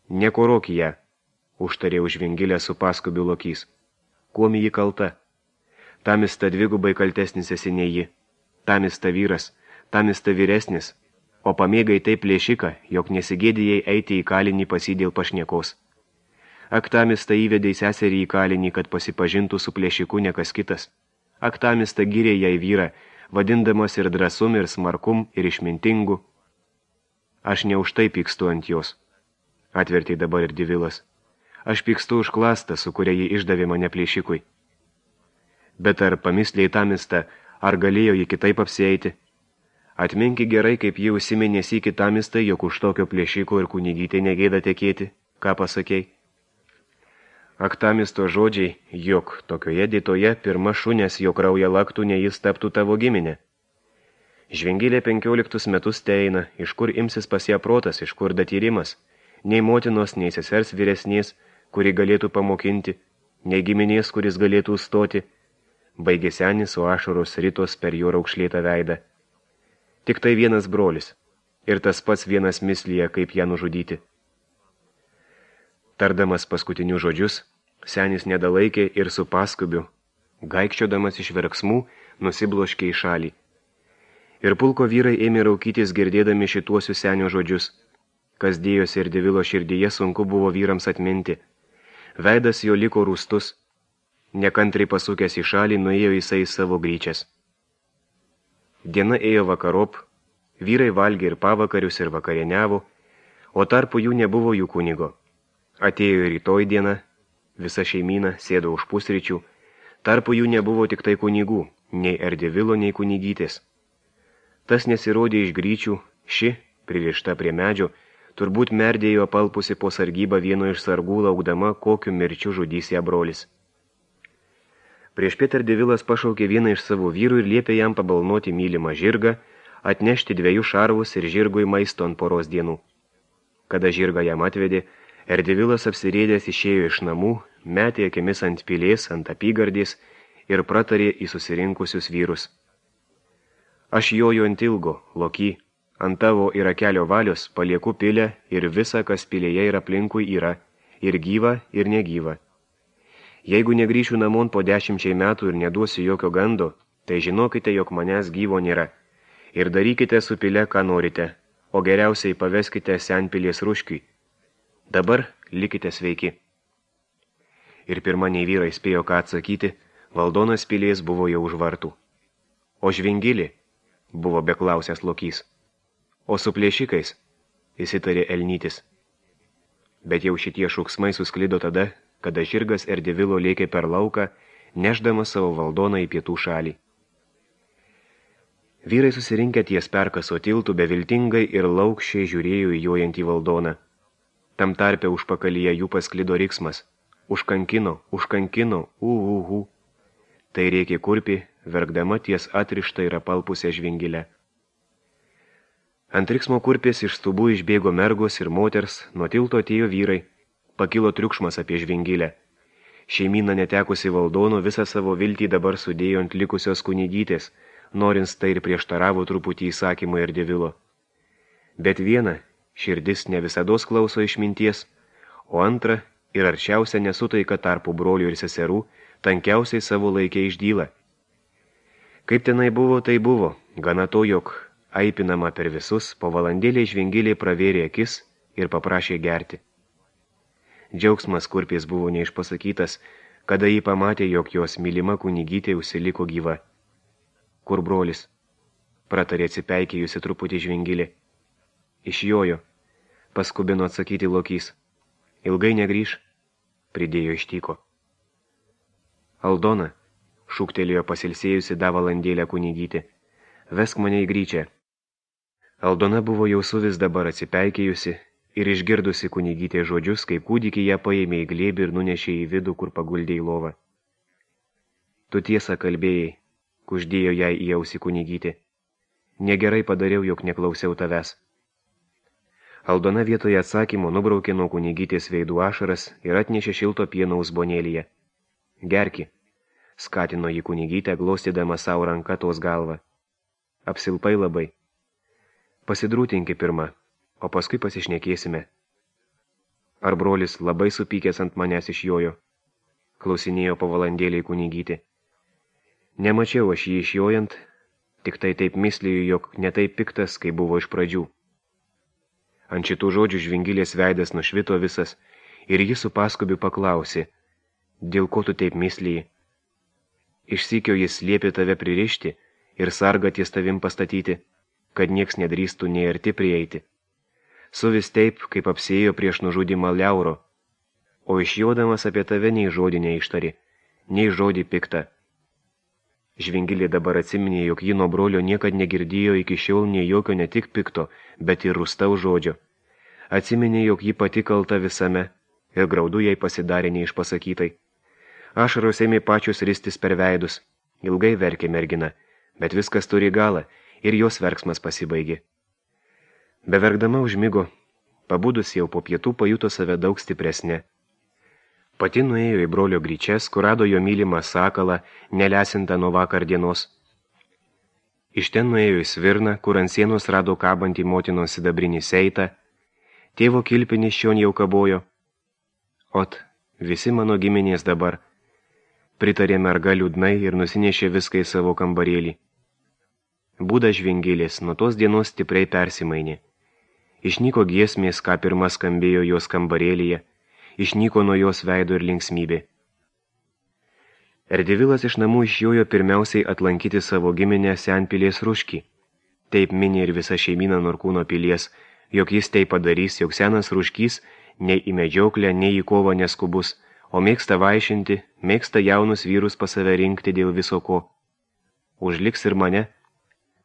nekorok ją, užtarė užvingilę su paskubiu Lokys. Kuom ji kalta? Tamista dvigubai kaltesnis esi nei ji. Tamista vyras, tamista vyresnis, o pamėgai taip plėšiką, jog nesigėdėjai eiti į kalinį pasidėl pašniekos. Aktamista įvedė seserį į kalinį, kad pasipažintų su plėšiku nekas kitas. Aktamista gyrė jai vyrą, vadindamas ir drąsum, ir smarkum, ir išmintingu. Aš ne už tai pykstu ant jos, atvertė dabar ir Divilas. Aš pykstu už klastą, su kuria ji išdavė mane plėšikui. Bet ar pamislė Tamista, ar galėjo ji kitaip apsieiti? Atminki gerai, kaip ji užsiminė sykį Tamistai, jog už tokio plėšiko ir kunigytė negėda tekėti, ką pasakei? Aktamisto žodžiai, jog tokioje dėtoje pirma šunės jo kraują laktų, ne jis taptų tavo giminė. Žvengilė penkioliktus metus teina, iš kur imsis pas ją protas, iš kur datyrimas, nei motinos, nei sesers vyresnės, kuri galėtų pamokinti, nei giminės, kuris galėtų stoti, baigė senis, o ašaros ritos per jo raukšlėtą veidą. Tik tai vienas brolis, ir tas pats vienas mislyje, kaip ją nužudyti. Tardamas paskutinius žodžius, senis nedalaikė ir su paskubiu, gaikščiodamas iš verksmų, nusibloškė į šalį. Ir pulko vyrai ėmė raukytis girdėdami šituosius senio žodžius. Kas dėjosi ir Devilo širdyje, sunku buvo vyrams atminti. Veidas jo liko rūstus. Nekantriai pasukęs į šalį, nuėjo jisai savo gryčias. Diena ėjo vakarop, vyrai valgė ir pavakarius ir vakarieniavo, o tarpu jų nebuvo jų kunigo. Atėjo rytoj diena, visa šeimyna sėdo už pusryčių, tarpu jų nebuvo tik tai kunigų, nei Erdevilo, nei kunigytės. Tas nesirodė iš gryčių, ši, pririšta prie medžio, turbūt merdėjo palpusi po sargybą vieno iš sargų, laukdama, kokiu mirčiu žudys ją brolis. Prieš piet Erdevilas pašaukė vieną iš savo vyrų ir liepė jam pabalnoti mylimą žirgą, atnešti dviejų šarvus ir žirgui maisto ant poros dienų. Kada žirgą jam atvedė, Erdevilas apsirėdęs išėjo iš namų, metė akimis ant pilės, ant apygardės ir pratarė į susirinkusius vyrus. Aš joju ant ilgo, Loky, ant tavo ir akelio valios palieku pilę ir visa, kas pilėje ir aplinkui yra, ir gyva, ir negyva. Jeigu negrįšiu namon po dešimčiai metų ir neduosiu jokio gando, tai žinokite, jog manęs gyvo nėra. Ir darykite su pile, ką norite, o geriausiai paveskite senpilės ruškiui. Dabar likite sveiki. Ir pirmaniai vyrai spėjo ką atsakyti, valdonas pilės buvo jau už vartų. O žvingilį buvo beklausęs Lokys. O su plėšikais, įsitarė Elnytis. Bet jau šitie šūksmai susklido tada, kada žirgas Erdevilo lėkė per lauką, nešdamas savo valdoną į pietų šalį. Vyrai susirinkę ties perkaso tiltų beviltingai ir laukščiai žiūrėjo į jojantį valdoną. Tam tarpe užpakalyje jų pasklido riksmas. Užkankino, užkankino, uhuhu. Tai rėkė kurpi, verkdama ties atrištą ir apalpusią žvingilę. Ant riksmo kurpės iš stubų išbėgo mergos ir moters, nuo tilto atėjo vyrai. Pakilo triukšmas apie žvingilę. Šeimyna netekusi valdono visą savo viltį dabar sudėjo ant likusios kunigytės, norins tai ir prieštaravo truputį įsakymui Erdevilo. Bet viena, širdis ne visados klauso išminties, o antra ir arčiausia nesutaika tarpu brolių ir seserų, tankiausiai savo laikė išdyla. Kaip tenai buvo, tai buvo, gana to, jog aipinama per visus, po valandėlį žvingilė pravėrė akis ir paprašė gerti. Džiaugsmas kurpės buvo neišpasakytas, kada jį pamatė, jog jos mylima kunigytė užsiliko gyva. Kur brolis? Pratarė atsipeikėjusi truputį žvingilė. Išjojo, paskubino atsakyti Lokys. Ilgai negrįš, pridėjo ištyko. Aldona, šūktelėjo pasilsėjusi da valandėlę kunigytė, vesk mane į gryčią. Aldona buvo jau suvis dabar atsipeikėjusi, ir išgirdusi kunigytė žodžius, kaip kūdikį ją paėmė į glėbį ir nunešė į vidų, kur paguldė į lovą. Tu tiesą kalbėjai, kuždėjo jai į ausį kunigytė. Negerai padariau, jog neklausiau tavęs. Aldona vietoje atsakymo nubraukė nuo kunigytės veidų ašaras ir atnešė šilto pieno uzbonėlyje. Gerki, skatino jį kunigytę, glostydama savo ranką tos galvą. Apsilpai labai. Pasidrūtinki pirmą, o paskui pasišnekėsime. Ar brolis labai supykęs ant manęs išjojo? Klausinėjo po valandėlį kunigytė. Nemačiau aš jį išjojant, tik tai taip misliju, jog netaip piktas, kai buvo iš pradžių. Ant šitų žodžių Žvingilės veidas nušvito visas ir jis su paskubiu paklausė, dėl ko tu taip mislyji? Išsykio jis liepė tave pririšti ir sargą ties tavim pastatyti, kad nieks nedrįstų nei arti prieiti. Suvis taip, kaip apsėjo prieš nužudymą Liauro, o išjodamas apie tave nei žodį neištari, nei žodį piktą. Žvingilė dabar atsiminė, jog ji nuo brolio niekad negirdėjo iki šiol nei jokio ne tik pikto, bet ir rūstaus žodžio. Atsiminė, jog ji pati kalta visame ir graudu jai pasidarė neišpasakytai. Ašaros ėmė pačios ristis per veidus, ilgai verkė mergina, bet viskas turi galą ir jos verksmas pasibaigė. Beverkdama užmigo, pabudus jau po pietų pajuto save daug stipresnė. Pati nuėjo į brolio gryčias, kur rado jo mylimą sakalą, nelesintą nuo vakar dienos. Iš ten nuėjo į svirną, kur ant sienos rado kabantį motinos sidabrinį seitą, tėvo kilpinis šion jau kabojo. Ot, visi mano giminės dabar, pritarė merga liūdnai ir nusinešė viską į savo kambarėlį. Būda Žvingilės nuo tos dienos stipriai persimainė. Išnyko giesmės, ką pirma skambėjo jos kambarėlyje, išnyko nuo jos veido ir linksmybė. Erdevilas iš namų išjojo pirmiausiai atlankyti savo giminę Senpilės Ruškį. Taip minė ir visa šeimyna Norkūno pilies, jog jis tai padarys, jog senas Ruškys nei į medžioklę, nei į kovą neskubus, o mėgsta vaišinti, mėgsta jaunus vyrus pas save rinkti dėl viso ko. Užliks ir mane,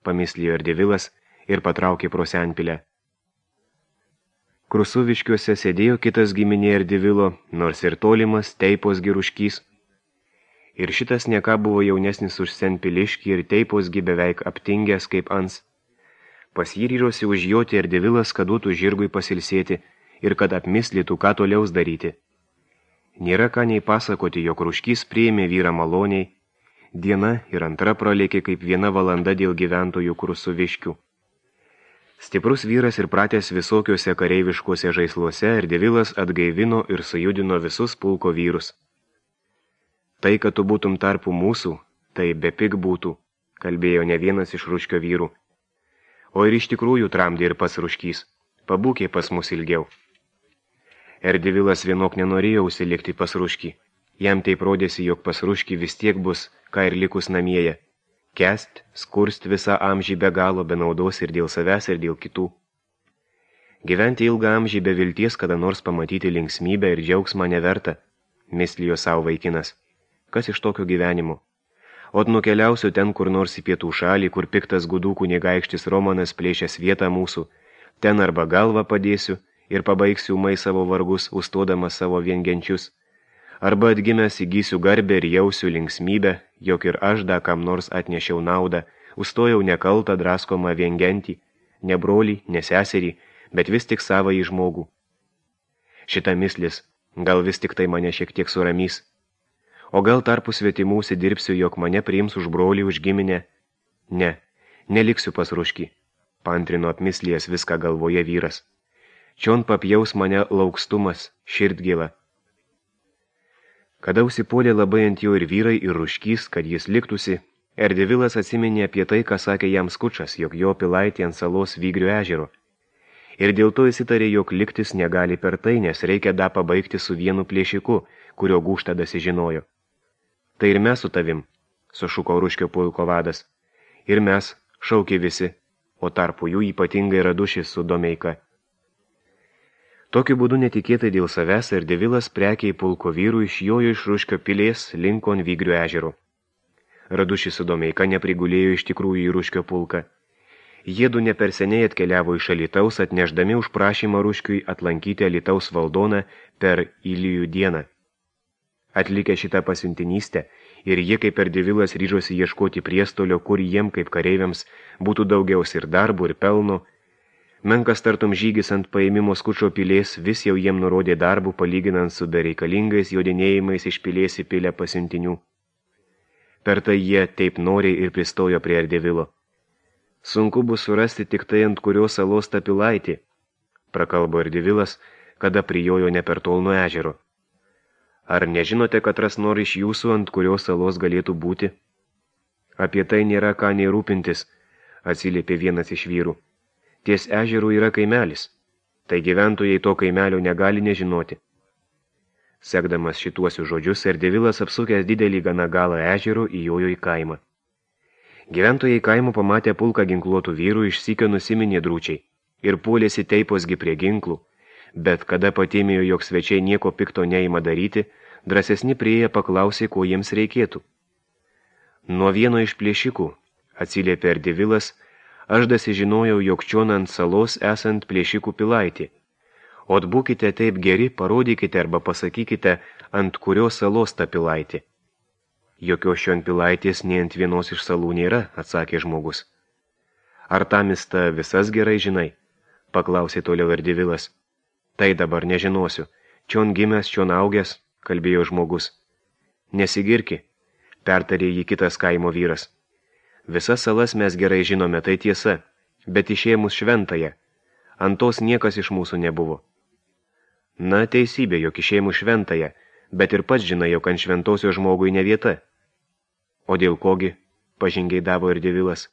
pamislėjo Erdevilas ir patraukė pro Senpilę. Krusuviškiuose sėdėjo kitas giminė Erdevilo, nors ir tolimas Teipos Giruškys. Ir šitas nieką buvo jaunesnis už Senpiliškį ir Teiposgi beveik aptingęs kaip ans. Pas jį ryžosi užjoti Erdevilas, kad duotų žirgui pasilsėti ir kad apmislytų, ką toliaus daryti. Nėra ką nei pasakoti, jog Ruškys priėmė vyrą maloniai. Diena ir antra pralėkė kaip viena valanda dėl gyventojų Krusuviškių. Stiprus vyras ir pratęs visokiuose kareiviškuose žaisluose, Erdevilas atgaivino ir sujudino visus pulko vyrus. Tai, kad tu būtum tarpu mūsų, tai bepik būtų, kalbėjo ne vienas iš Ruškio vyrų. O ir iš tikrųjų tramdė ir pas Ruškys, pabūkė pas mus ilgiau. Erdevilas vienok nenorėjo užsilikti pas Ruškį. Jam taip rodėsi, jog pas Ruškį vis tiek bus, ką ir likus namieje. Kest, skurst visą amžį be galo, be naudos ir dėl savęs ir dėl kitų. Gyventi ilgą amžį be vilties, kada nors pamatyti linksmybę ir džiaugsmą neverta, mislijo savo vaikinas. Kas iš tokio gyvenimo? Ot nukeliausiu ten kur nors į pietų šalį, kur piktas gudų kunigaikštis Romanas plėšęs vietą mūsų, ten arba galvą padėsiu ir pabaigsiu ūmai savo vargus, užstodamas savo viengenčius, arba atgimęs įgysiu garbę ir jausiu linksmybę, jog ir aš da kam nors atnešiau naudą, užstojau nekaltą draskomą viengentį, ne brolį, ne seserį, bet vis tik savąjį žmogų. Šita mislis, gal vis tik tai mane šiek tiek suramys. O gal tarpu svetimų užsidirbsiu, jog mane priims už brolį, už giminę? Ne, neliksiu pas Ruškį, paantrino apmislijas viską galvoje vyras. Čion papjaus mane laukstumas, širdgėla. Kada užsipuolė labai ant jo ir vyrai, ir Ruškys, kad jis liktųsi, Erdevilas atsiminė apie tai, ką sakė jam Skučas, jog jo pilaitė ant salos Vygrių ežero. Ir dėl to įsitarė, jog liktis negali per tai, nes reikia da pabaigti su vienu plėšiku, kurio gūžtadas žinojo. Tai ir mes su tavim, sušuko Ruškio pulko vadas. Ir mes, šaukė visi, o tarpu jų ypatingai Radušis su Domeika. Tokiu būdu netikėtai dėl savęs Erdevilas prekiai pulko vyrų išjojo iš Ruškio pilės linkon Vygrių ežero. Radušis su Domeika neprigulėjo iš tikrųjų į Ruškio pulką. Jiedu ne per seniai atkeliavo iš Alytaus, atnešdami už prašymą Ruškiui atlankyti Alytaus valdoną per Ilijų dieną. Atlikę šitą pasiuntinystę, ir jie kaip Erdevilas ryžosi ieškoti priestolio, kur jiem kaip kareiviams būtų daugiaus ir darbų ir pelno, Menkas tartum žygis ant paėmimo skučio pilės vis jau jiem nurodė darbų palyginant su bereikalingais jodinėjimais iš pilės į pilę pasiuntinių. Per tai jie taip noriai ir pristojo prie Erdevilo. Sunku bus surasti tik tai, ant kurios salos ta pilaitė, prakalbo Erdevilas, kada prijojo ne per tol nuo ežero. Ar nežinote, kad ras nori iš jūsų, ant kurios salos galėtų būti? Apie tai nėra ką nei rūpintis, atsiliepė vienas iš vyrų. Ties ežerų yra kaimelis, tai gyventojai to kaimelio negali nežinoti. Sekdamas šituosius žodžius, Erdevilas apsukęs didelį gana galą ežero įjojo į kaimą. Gyventojai kaimo pamatė pulką ginkluotų vyrų, išsykio nusiminė drūčiai ir puolėsi teiposgi prie ginklų, bet kada patėmėjo, jog svečiai nieko pikto neima daryti, drąsesni prieėję paklausė, ko jiems reikėtų. Nuo vieno iš plėšikų, atsiliepė Erdevilas, aš dasižinojau, jog čion ant salos esant plėšikų pilaitį. O būkite taip geri, parodykite arba pasakykite, ant kurios salos ta pilaitė. Jokios šion pilaitės nei ant vienos iš salų nėra, atsakė žmogus. Ar tamista visas gerai žinai? Paklausė toliau Erdevilas. Tai dabar nežinosiu. Čion gimęs, čion augęs, kalbėjo žmogus. Nesigirki, pertarė jį kitas kaimo vyras. Visas salas mes gerai žinome, tai tiesa, bet išėmus šventąją. Ant tos niekas iš mūsų nebuvo. Na, teisybė, jog išėmus šventąją, bet ir pats žinai, jog ant šventosios žmogui ne vieta. O dėl kogi, pažingeidavo Erdevilas.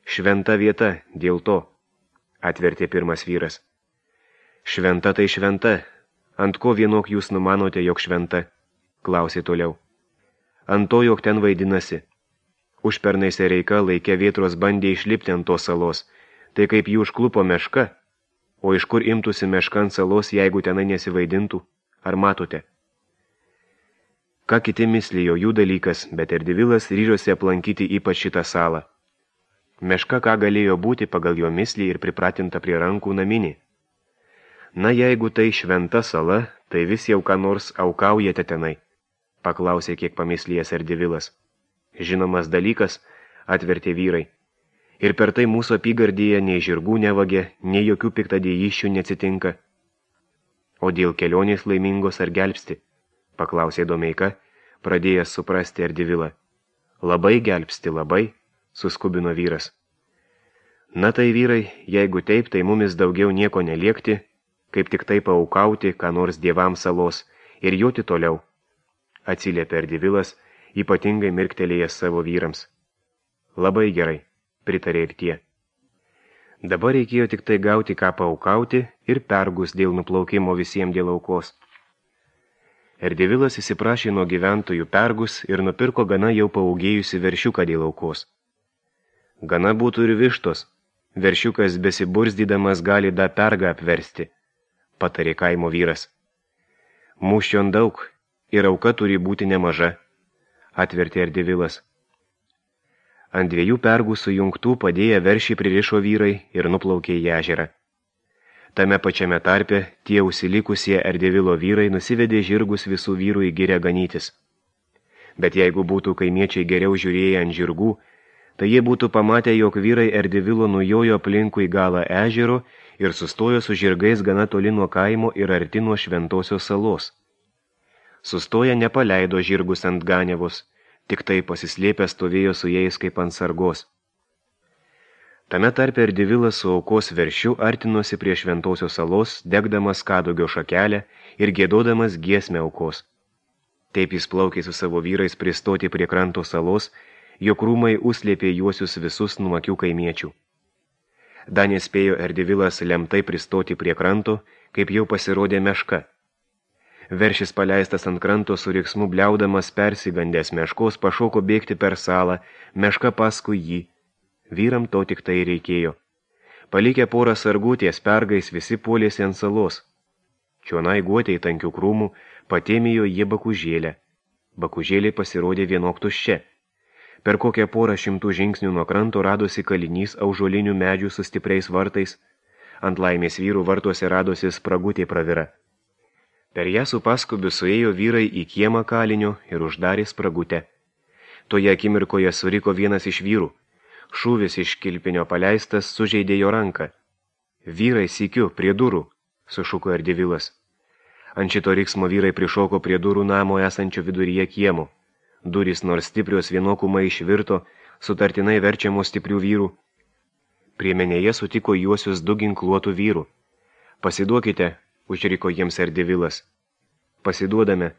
Šventa vieta, dėl to, atvertė pirmas vyras. Šventa tai šventa, ant ko vienok jūs numanote, jog šventa, klausė toliau. Ant to, jog ten vaidinasi. Užpernai Sereika laikė Vėtros bandė išlipti ant tos salos, tai kaip jų užklupo meška, o iš kur imtųsi meška ant salos, jeigu tenai nesivaidintų, ar matote? Ką kiti mislijo jų dalykas, bet Erdevilas ryžosi aplankyti ypač šitą salą. Meška ką galėjo būti pagal jo mislį ir pripratinta prie rankų naminį. Na, jeigu tai šventa sala, tai vis jau ką nors aukaujate tenai, paklausė kiek pamislėjęs Erdevilas. Žinomas dalykas, atvertė vyrai. Ir per tai mūsų apygardyje nei žirgų nevagė, nei jokių piktadėjysčių neatsitinka. O dėl kelionės laimingos ar gelbsti, paklausė Domeika, pradėjęs suprasti Erdevilą. Labai gelbsti, labai, suskubino vyras. Na tai vyrai, jeigu taip, tai mumis daugiau nieko neliekti, kaip tik tai paaukauti, ką nors dievams salos, ir joti toliau, atsiliepė Erdevilas, ypatingai mirktelėjęs savo vyrams. Labai gerai, pritarė ir tie. Dabar reikėjo tik tai gauti ką paaukauti ir pergus dėl nuplaukimo visiems dėl aukos. Erdevilas įsiprašė nuo gyventojų pergus ir nupirko gana jau paaugėjusi veršiuką dėl aukos. Gana būtų ir vištos, veršiukas besiburzdydamas gali da pergą apversti, patarė kaimo vyras. Mūščion daug ir auka turi būti nemaža, atvertė Erdevilas. Ant dviejų pergų sujungtų padėję veršį pririšo vyrai ir nuplaukė į ežerą. Tame pačiame tarpe tie užsilikusie Erdevilo vyrai nusivedė žirgus visų vyrų į girę ganytis. Bet jeigu būtų kaimiečiai geriau žiūrėję ant žirgų, tai jie būtų pamatę, jog vyrai Erdevilo nujojo aplinkui galą ežero ir sustojo su žirgais gana toli nuo kaimo ir arti nuo šventosios salos. Sustoję nepaleido žirgus ant ganiavos, tik tai pasislėpę stovėjo su jais kaip ant sargos. Tame tarpe Erdevilas su aukos veršiu artinosi prie šventosios salos, degdamas kadugio šakelę ir gėdodamas giesmę aukos. Taip jis plaukė su savo vyrais pristoti prie kranto salos, jo krūmai užslėpė juosius visus nuo akių kaimiečių. Dar nespėjo Erdevilas lemtai pristoti prie kranto, kaip jau pasirodė meška. Veršis paleistas ant kranto su riksmu bliaudamas persigandęs meškos pašoko bėgti per salą, meška paskui jį. Vyram to tik tai reikėjo. Palikę porą sargų ties pergais visi puolėsi ant salos. Čionai guotei tankių krūmų patėmijo jie bakužėlę. Bakužėlė pasirodė vienok tuščia. Per kokią porą šimtų žingsnių nuo kranto radosi kalinys aužuolinių medžių su stipriais vartais. Ant laimės vyrų vartuose radosi spragutė pravira. Per ją su paskubiu suėjo vyrai į kiemą kalinio ir uždarė spragutę. Toje akimirkoje suriko vienas iš vyrų. Šūvis iš kilpinio paleistas sužeidė jo ranką. Vyrai sykiu, prie durų, sušuko Erdivilas. Ant šito riksmo vyrai prišoko prie durų namo esančio viduryje kiemo. Durys nors stiprios vienokumai išvirto, sutartinai verčiamos stiprių vyrų. Priemenėje sutiko juosius du ginkluotų vyrų. Pasiduokite, užriko jiems Erdivilas. Pasiduodame,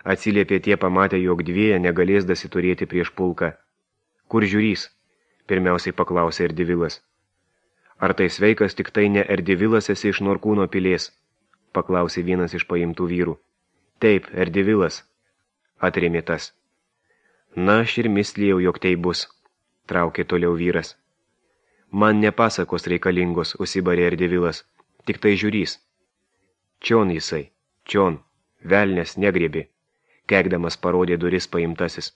atsiliepė tie pamatę, jog dvieja negalės dasiturėti prieš pulką. Kur žiūrys? Pirmiausiai paklausė Erdivilas. Ar tai sveikas tik tai ne Erdivilas esi iš Norkūno pilies? Paklausė vienas iš paimtų vyrų. Taip, Erdivilas, atrėmė tas. Na, aš ir mislėjau, jog tai bus, traukė toliau vyras. Man nepasakos reikalingos, užsibarė Erdivilas, tik tai žiūrys. Čion jisai, čion, velnės negrėbi, keikdamas parodė duris paimtasis.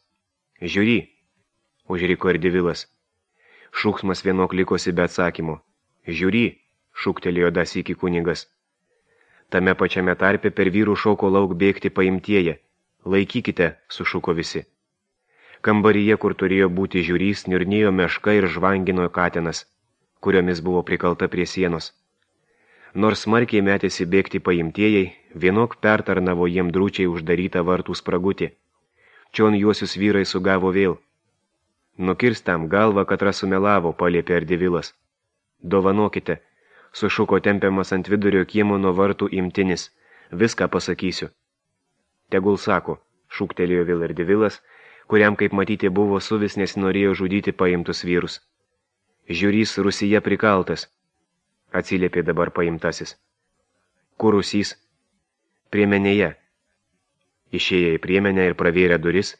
Žiūry, užriko Erdivilas. Šūksmas vienok likosi be atsakymo. Žiūry, šūktelėjo das iki kunigas. Tame pačiame tarpe per vyrų šoko lauk bėgti paimtieji. Laikykite, sušuko visi. Kambaryje, kur turėjo būti žiūrys, niurnėjo meška ir žvangino katinas, kuriomis buvo prikalta prie sienos. Nors smarkiai metėsi bėgti paimtieji, vienok pertarnavo jiem drūčiai uždarytą vartų spragutį. Čion juosius vyrai sugavo vėl. Nukirstam galvą, kad sumelavo, paliepė Erdivilas. Dovanokite, sušuko tempiamas ant vidurio kiemo nuo vartų imtinis. Viską pasakysiu. Tegul sako, šūktelėjo vėl Erdivilas, kuriam, kaip matyti, buvo suvis, nes norėjo žudyti paimtus vyrus. Žiūrys Rusija prikaltas, atsiliepė dabar paimtasis. Kur Rusys? Priemenėje. Išėję į priemenę ir pravėrę duris,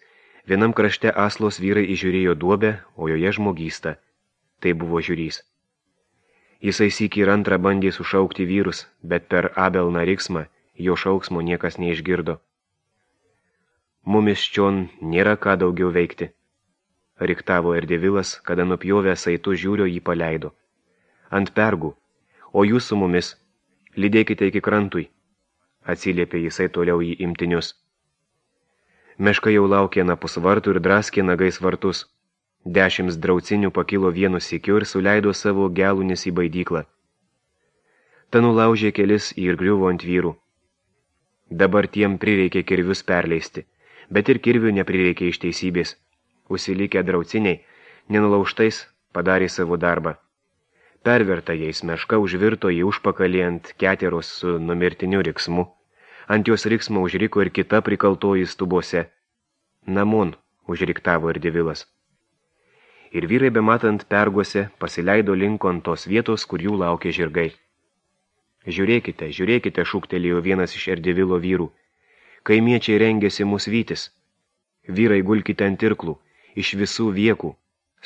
vienam krašte aslos vyrai įžiūrėjo duobę, o joje žmogystą. Tai buvo žiūrys. Jisai sykį ir antrą bandė sušaukti vyrus, bet per abelną riksmą jo šauksmo niekas neišgirdo. Mumis čion nėra ką daugiau veikti. Riktavo Erdivilas, kada nupjovę saitų žiūrio jį paleido. Ant pergų, o jūs su mumis, lydėkite iki krantui, atsiliepė jisai toliau į imtinius. Meška jau laukė napus vartų ir draskė nagais vartus. Dešims draucinių pakilo vienu sykiu ir suleido savo gelunis į baidyklą. Ta nulaužė kelis ir griuvo ant vyrų. Dabar tiem prireikė kirvius perleisti, bet ir kirvių neprireikė iš teisybės. Užsilikę drauciniai, nenulaužtais, padarė savo darbą. Perverta jais meška užvirto į užpakalį ant keteros su numirtiniu riksmu. Ant jos riksmo užriko ir kita prikaltoji stubose. Namon, užriktavo Erdivilas. Ir vyrai bematant perguose pasileido linko ant tos vietos, kur jų laukė žirgai. Žiūrėkite, žiūrėkite, šūktelėjo vienas iš Erdivilo vyrų. Kaimiečiai rengėsi mus vytis. Vyrai gulkite ant irklų, iš visų viekų,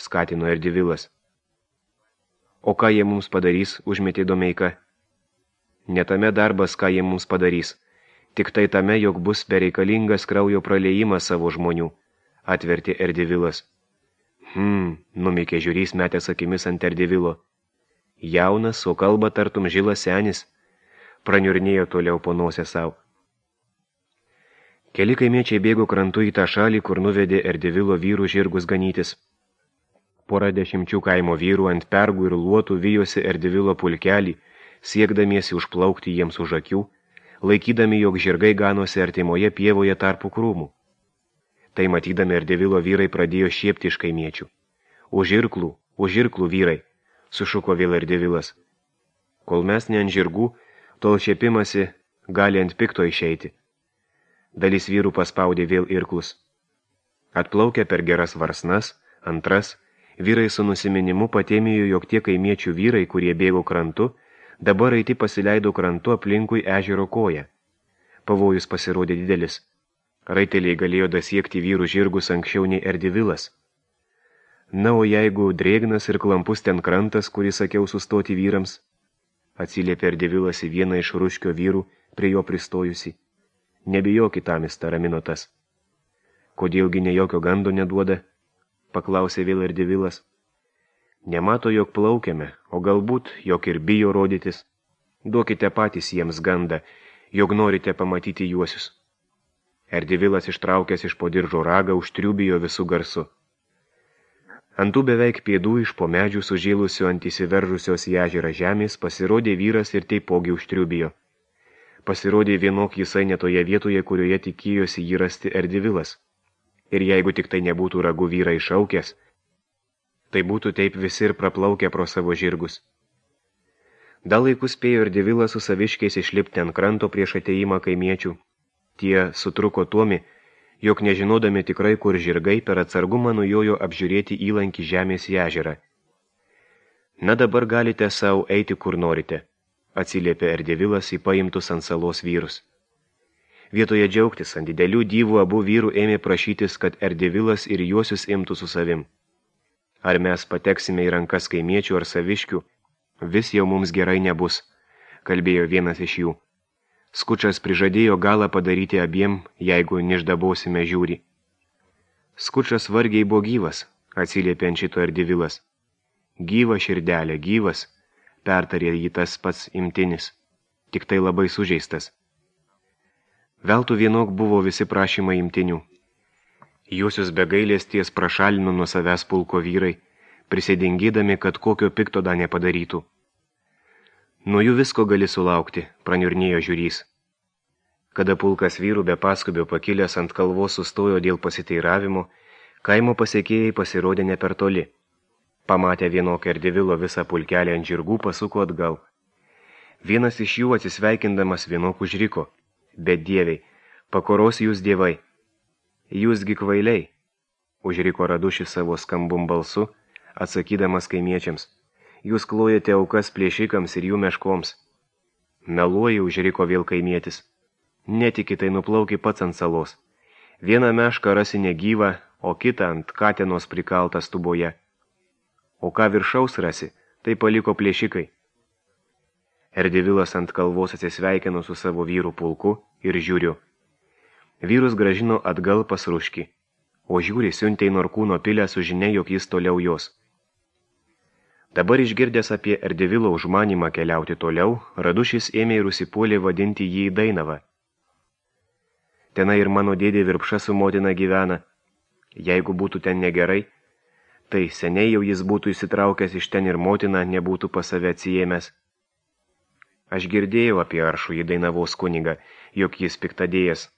skatino Erdivilas. O ką jie mums padarys, užmetė Domeika. Netame darbas, ką jie mums padarys, tik tai tame, jog bus bereikalingas kraujo praleijimas savo žmonių, atvertė Erdivilas. Hmm, numikė žiūrys metęs akimis ant Erdivilo. Jaunas, o kalba tartum žilas senis, praniurnėjo toliau po nosę savo. Keli kaimiečiai bėgo krantu į tą šalį, kur nuvedė Erdivilo vyrų žirgus ganytis. Pora dešimčių kaimo vyrų ant pergų ir luotų vijosi Erdivilo pulkelį, siekdamiesi užplaukti jiems už akių, laikydami, jog žirgai ganosi artimoje pievoje tarpu krūmų. Tai matydami Erdivilo vyrai pradėjo šiepti iš kaimiečių. Už irklų, už irklų vyrai, sušuko vėl Erdivilas. Kol mes ne ant žirgų, tol šiepimasi gali ant pikto išeiti. Dalis vyrų paspaudė vėl irklus. Atplaukę per geras varsnas, antras, vyrai su nusiminimu patėmėjo, jog tie kaimiečių vyrai, kurie bėgo krantu, dabar eiti pasileido krantu aplinkui ežero koją. Pavojus pasirodė didelis. Raiteliai galėjo dasiekti vyrų žirgus anksčiau nei Erdivilas. Na, o jeigu drėgnas ir klampus ten krantas, kurį sakiau sustoti vyrams, atsiliepė Erdivilas į vieną iš ruškio vyrų, prie jo pristojusi. Nebijokit, tamis, taramino tas. Kodėlgi ne jokio gando neduoda, paklausė vėl Erdivilas. Nemato, jog plaukiame, o galbūt, jog ir bijo rodytis. Duokite patys jiems gandą, jog norite pamatyti juosius. Erdivilas ištraukęs iš po diržo ragą užtriubijo visų garsu. Ant tų beveik pėdų iš po medžių sužėlusių ant įsiveržusios į ežerą žemės pasirodė vyras ir taipogi užtriubijo. Pasirodė vienok jisai netoje vietoje, kurioje tikėjosi jį rasti Erdivilas. Ir jeigu tik tai nebūtų ragų vyrai šaukęs, tai būtų taip visi ir praplaukę pro savo žirgus. Dar laikus spėjo Erdivilas su saviškiais išlipti ant kranto prieš ateimą kaimiečių. Tie sutruko tuomi, jog nežinodami tikrai, kur žirgai per atsargumą nujojo apžiūrėti įlankį žemės į ežerą. Na dabar galite savo eiti kur norite, atsiliepė Erdivilas į paimtus ant salos vyrus. Vietoje džiaugtis ant didelių dyvų abu vyrų ėmė prašytis, kad Erdivilas ir juosius imtų su savim. Ar mes pateksime į rankas kaimiečių ar saviškių, vis jau mums gerai nebus, kalbėjo vienas iš jų. Skučas prižadėjo galą padaryti abiem, jeigu niždabosime žiūri. Skučas vargiai buvo gyvas, atsiliepė ant šito Erdivilas. Gyva širdelė, gyvas, pertarė jį tas pats imtinis, tik tai labai sužeistas. Veltų vienok buvo visi prašymai imtinių. Juosius be gailesties prašalino nuo savęs pulko vyrai, prisidengydami, kad kokio pikto da nepadarytų. Nuo jų visko gali sulaukti, praniurnėjo žiūrys. Kada pulkas vyrų be paskubio pakilęs ant kalvos sustojo dėl pasiteiravimo, kaimo pasiekėjai pasirodė ne per toli. Pamatę vienok Erdivilo visą pulkelį ant žirgų, pasuko atgal. Vienas iš jų atsisveikindamas vienok užriko. Bet dieviai, pakoros jūs dievai. Jūsgi kvailiai, užriko Radušis savo skambum balsu, atsakydamas kaimiečiams. Jūs klojate aukas plėšikams ir jų meškoms. Meluoji, užriko vėl kaimietis. Netiki, tai nuplauki pats ant salos. Vieną mešką rasi negyvą, o kitą ant katenos prikaltą stuboje. O ką viršaus rasi, tai paliko plėšikai. Erdivilas ant kalvos atsisveikino su savo vyrų pulku ir žiūriu. Vyrus gražino atgal pas Ruškį, o žiūri siuntė į Norkūno pilę su žinia, jog jis toliau jos. Dabar išgirdęs apie Erdivilo užmanymą keliauti toliau, Radušis ėmė ir užsipuolė vadinti jį į Dainavą. Tenai ir mano dėdė Virpša su motina gyvena. Jeigu būtų ten negerai, tai seniai jau jis būtų įsitraukęs iš ten ir motina nebūtų pas save atsijėmęs. Aš girdėjau apie aršų į Dainavos kunigą, jog jis piktadėjas,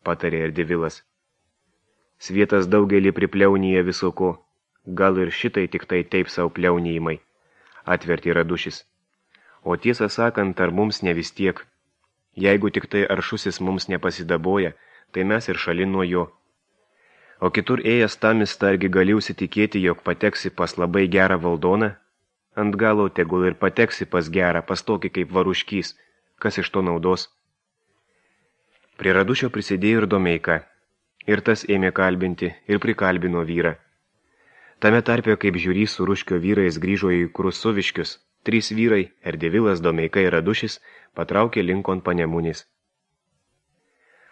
patarė Erdivilas. Svietas daugelį pripliaunyje visoko, gal ir šitai tik tai taip savo pliaunėjimai, atvertė Radušis. O tiesą sakant, ar mums ne vis tiek. Jeigu tik tai aršusis mums nepasidaboja, tai mes ir šalin nuo jo. O kitur ėjęs tamis targi gali užsitikėti, jog pateksi pas labai gerą valdoną, ant galo tegul ir pateksi pas gerą, pas tokį kaip Varuškys, kas iš to naudos. Prie Radušio prisidėjo ir Domeika, ir tas ėmė kalbinti ir prikalbino vyrą. Tame tarpe, kaip žiūrys su Ruškio vyrais grįžo į Krusuviškius, trys vyrai, Erdivilas, Domeika ir Radušis, patraukė linkon Panemunės.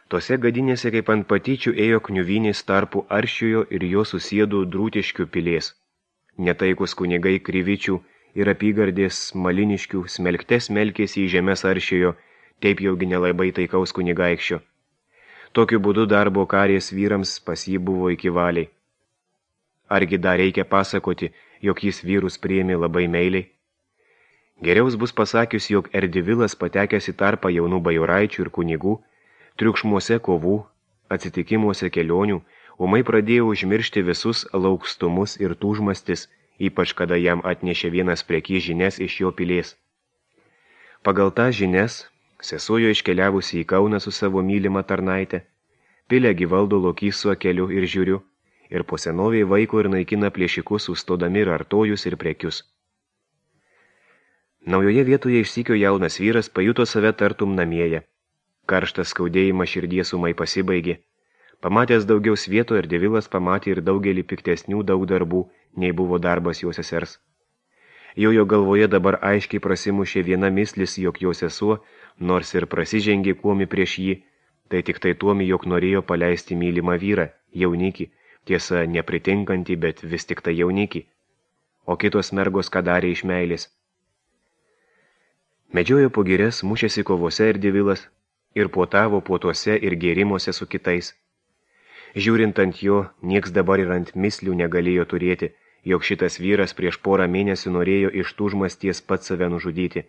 Tose gadinėse kaip ant patyčių ėjo kniuvinės tarpu Aršiojo ir jo susėdų Drūtiškių pilės. Netaikus kunigai Kryvičių ir apygardės Maliniškių smelktes melkėsi į žemės Aršiojo, taip jaugi nelabai taikaus kunigaikščio. Tokiu būdu darbo karės vyrams pas jį buvo iki valiai. Argi dar reikia pasakoti, jog jis vyrus priėmė labai meiliai? Geriaus bus pasakius, jog Erdivilas patekęs į tarpą jaunų bajoraičių ir kunigų, triukšmuose kovų, atsitikimuose kelionių, ūmai pradėjo užmiršti visus laukstumus ir tūžmastis, ypač kada jam atnešė vienas prekys žinias iš jo pilės. Pagal tą žinias, sesuojo iškeliavusi į Kauną su savo mylimą tarnaitę, pilę gyvaldo lokys su akeliu ir žiūriu, ir po senoviai vaiko ir naikina plėšikus, sustodami ir artojus ir prekius. Naujoje vietoje išsykio jaunas vyras pajuto save tartum namieje. Karštas skaudėjimas širdies ūmai pasibaigė. Pamatęs daugiau svieto, Erdivilas pamatė ir daugelį piktesnių daug darbų, nei buvo darbas jo sesers. Jo jo galvoje dabar aiškiai prasimušė viena mislis, jog jo sesuo, nors ir prasižengė kuomi prieš jį, tai tik tai tuomi, jog norėjo paleisti mylimą vyrą, jaunikį, tiesa nepritinkantį, bet vis tik tai jaunikį, o kitos mergos ką darė iš meilės. Medžiojo po girias, mušėsi kovose Erdivilas ir puotavo puotuose ir gėrimuose su kitais. Žiūrint ant jo, nieks dabar ir ant mislių negalėjo turėti, jog šitas vyras prieš porą mėnesių norėjo iš tūžmasties pats save nužudyti.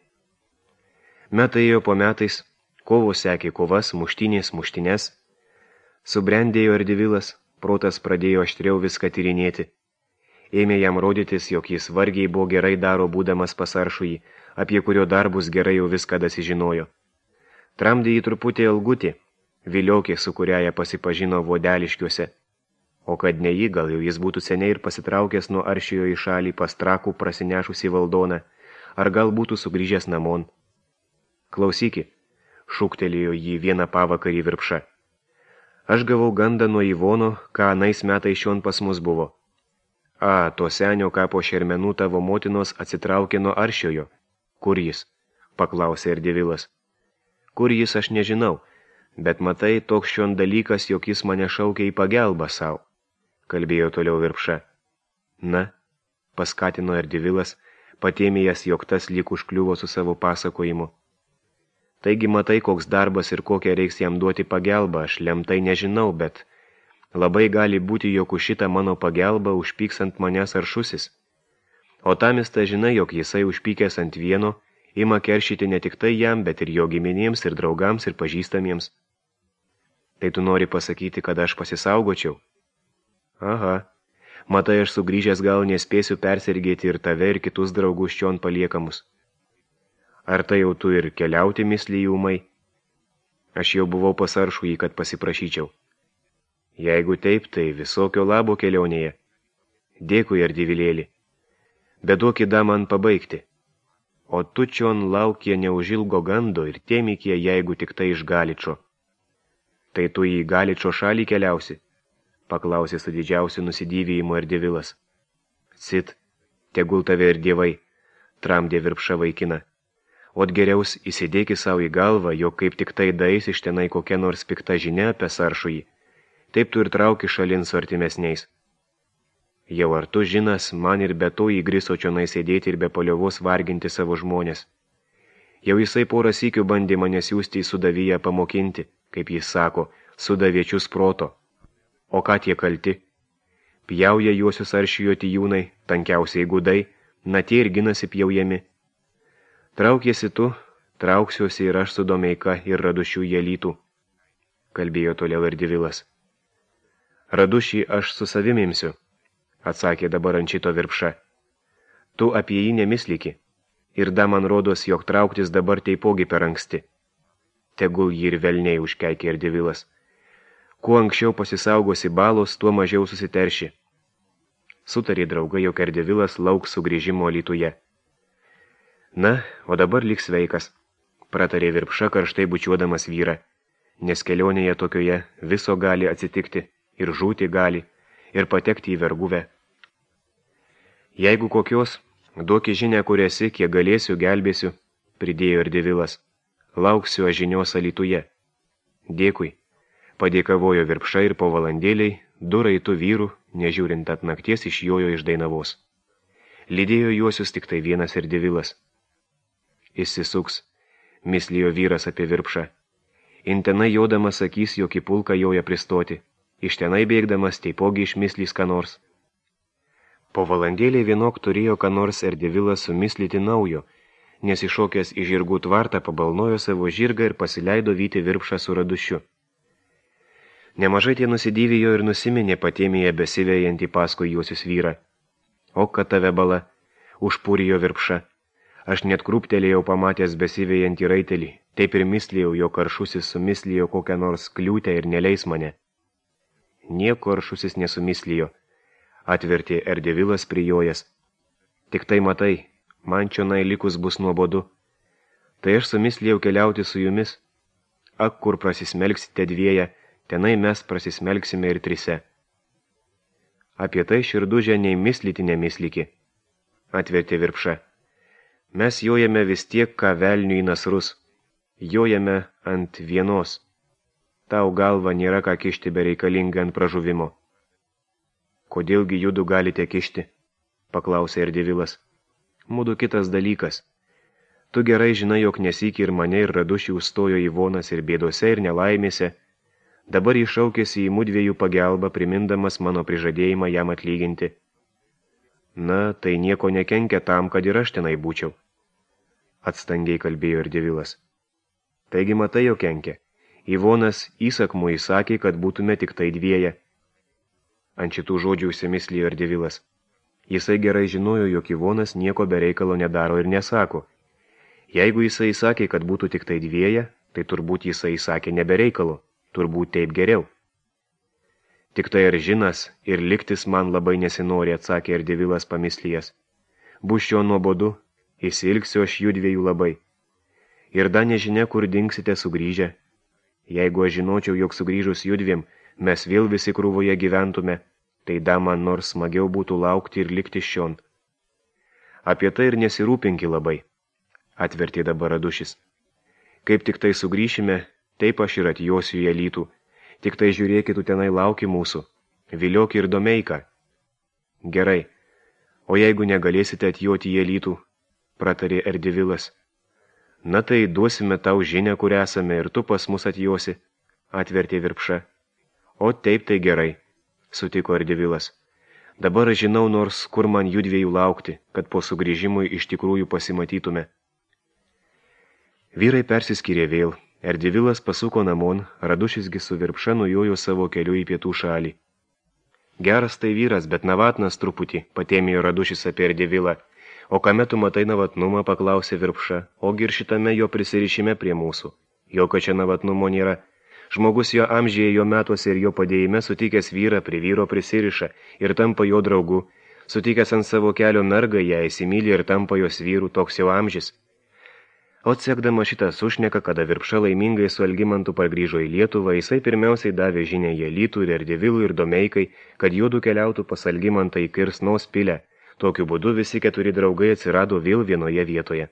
Metai ėjo po metais, kovos sekė kovas, muštinės, muštines. Subrendėjo Erdivilas, protas pradėjo aštriau viską tyrinėti. Ėmė jam rodytis, jog jis vargiai buvo gerai daro būdamas pas Aršųjį, apie kurio darbus gerai jau viską dasižinojo. Tramdė jį truputį Ilgutį, viliokė, su kuriaja pasipažino Vodeliškiuose. O kad ne jį, gal jau jis būtų seniai ir pasitraukęs nuo Aršiojo į šalį pas Trakų prasinešusį valdoną, ar gal būtų sugrįžęs namon. Klausyki, šūktelėjo jį vieną pavakarį Virpša. Aš gavau gandą nuo Ivono, ką anais metais šion pas mus buvo. A, to senio kapo šermenų tavo motinos atsitraukė nuo Aršiojo. Kur jis? Paklausė Erdivilas. Kur jis aš nežinau, bet matai, toks šion dalykas, jog jis mane šaukė į pagelbą sau, kalbėjo toliau Virpša. Na, paskatino Erdivilas, patėmėjęs, jog tas lyg užkliuvo su savo pasakojimu. Taigi matai, koks darbas ir kokią reiks jam duoti pagelbą, aš lemtai nežinau, bet labai gali būti, jog už šitą mano pagelbą užpyks ant manęs Aršusis. O tamista žinai, jog jisai užpykęs ant vieno, ima keršyti ne tik tai jam, bet ir jo giminėms ir draugams ir pažįstamiems. Tai tu nori pasakyti, kad aš pasisaugočiau? Aha, matai, aš sugrįžęs gal nespėsiu persirgėti ir tave ir kitus draugus čion paliekamus. Ar tai jau tu ir keliauti mislį ūmai? Aš jau buvau pas Aršųjį, kad pasiprašyčiau. Jeigu taip, tai visokio labo kelionėje. Dėkui, Erdivilėlį. Bet duok įda man pabaigti. O tu čion laukie neužilgo gando ir tėmikie, jeigu tik tai iš Galičo. Tai tu į Galičo šalį keliausi? Paklausė su didžiausiu nusidėvėjimu Erdivilas. Cit, tegul tave ir dievai, tramdė Virpša vaikina. Ot geriaus įsidėki savo į galvą, jog kaip tik tai dais iš tenai kokia nors pikta žinia apie Aršųjį. Taip tu ir trauki šalin su artimesniais. Jau ar tu žinas, man ir be to įgriso čionai sėdėti ir be paliovos varginti savo žmonės. Jau jisai porą sykių bandė mane siųsti į Sudaviją pamokinti, kaip jis sako, sudaviečius proto. O ką tie kalti? Pjauja juosius Aršijo tijūnai, tankiausiai gudai, na tie ir ginasi pjaujami. Traukiesi tu, trauksiuosi ir aš su Domeika ir Radušių jelytų, kalbėjo toliau Erdivilas. Radušį aš su savim imsiu, atsakė dabar ant šito Virpša. Tu apie jį nemisliki, ir da man rodos, jog trauktis dabar teipogi per anksti. Tegul jį ir velniai užkeikė Erdivilas. Kuo anksčiau pasisaugosi balos, tuo mažiau susiterši. Sutarė draugai, jog Erdivilas lauks sugrįžimo Alytuje. Na, o dabar lik sveikas, pratarė Virpša karštai bučiuodamas vyrą, nes kelionėje tokioje viso gali atsitikti. Ir žūti gali, ir patekti į verguvę. Jeigu kokios, duoki žinę, kur esi, kiek galėsiu, gelbėsiu, pridėjo Erdivilas. Lauksiu aš žinios Alytuje. Dėkui, padėkavojo Virpša ir po valandėliai, du raitų vyrų, nežiūrint at nakties, išjojo iš Dainavos. Lydėjo juosius tik tai vienas Erdivilas. Išsisuks, mislijo vyras apie Virpšą. Intenai jodamas sakys, jog į pulką joja pristoti. Iš tenai bėgdamas teipogi išmislys ką nors. Po valandėlį vienok turėjo ką nors Erdivilas sumislyti naujo, nes iššokęs į žirgų tvartą pabalnojo savo žirgą ir pasileido vyti Virpšą su Radušiu. Nemažai tie nusidėvijo ir nusiminė patėmėje besivėjantį paskui juosius vyrą. O, kad tave bala, užpūrijo Virpša. Aš net krūptelėjau pamatęs besivėjantį raitelį, taip ir mislėjau, jog Aršusis sumislijo kokią nors kliūtę ir neleis mane. Nieko Aršusis nesumislijo, atvertė Erdivilas prijojas. Tik tai matai, man čionai likus bus nuobodu. Tai aš sumislijau keliauti su jumis. Ak, kur prasismelksite dvieją, tenai mes prasismelksime ir trise. Apie tai Širdužė nei mislyti nemisliki, atvertė Virpša. Mes jojame vis tiek, ką velnių į nasrus. Jojame ant vienos. Tau galva nėra ką kišti bereikalingą ant pražuvimo. Kodėlgi judu galite kišti? Paklausė Erdivilas. Mudu kitas dalykas. Tu gerai žinai, jog nesyk ir mane ir Radušį užstojo Ivonas ir bėdose ir nelaimėse. Dabar jis šaukėsi į mudviejų pagelbą, primindamas mano prižadėjimą jam atlyginti. Na, tai nieko nekenkia tam, kad ir aš tenai būčiau. Atstangiai kalbėjo Erdevilas. Taigi matai, jo kenkia. Ivonas įsakmu įsakė, kad būtume tik tai dvieje. Ant šitų žodžių užsimislijo Erdevilas. Jisai gerai žinojo, jog Ivonas nieko be reikalo nedaro ir nesako. Jeigu jisai įsakė, kad būtų tik tai dvieje, tai turbūt jisai įsakė nebereikalo, turbūt taip geriau. Tik tai ir žinas, ir liktis man labai nesinori, atsakė Erdevilas pamislijas. Bus šio nuobodu, įsilgsiu aš jų dviejų labai. Ir da nežinia, kur dingsite sugrįžę. Jeigu aš žinočiau, jog sugrįžus judviem, mes vėl visi krūvoje gyventume, tai da man nors smagiau būtų laukti ir likti šion. Apie tai ir nesirūpinki labai, atvertė dabar Radušis. Kaip tik tai sugrįšime, taip aš ir atjosiu į Alytų. Tik tai žiūrėkit, tu tenai lauki mūsų. Viliok ir Domeiką. Gerai. O jeigu negalėsite atjoti į Alytų, pratarė Erdevilas. Na tai duosime tau žinę, kur esame, ir tu pas mus atjosi, atvertė Virpša. O taip tai gerai, sutiko Erdevilas. Dabar žinau nors, kur man judviejų laukti, kad po sugrįžimui iš tikrųjų pasimatytume. Vyrai persiskyrė vėl. Erdevilas pasuko namon, Radušisgi su Virpša nujojo savo keliu į pietų šalį. Geras tai vyras, bet navatnas truputį, patėmėjo Radušis apie Erdevilą. O kame tu matai navatnumą, paklausė Virpša, ogi ir šitame jo prisirišime prie mūsų. Jokio čia navatnumo nėra. Žmogus jo amžiuje, jo metuose ir jo padėjime sutikęs vyrą prie vyro prisiriša ir tampa jo draugu. Sutikęs ant savo kelio mergą, ją įsimylė ir tampa jos vyrų, toks jau amžis. O sekdama šitą sušneka, kada Virpša laimingai su Algimantu pargrįžo į Lietuvą, jisai pirmiausiai davė žinę į Alytų ir Erdevilui ir Domeikai, kad juodu keliautų pas Algimantą į Kirsnos pilę. Tokiu būdu visi keturi draugai atsirado vėl vienoje vietoje.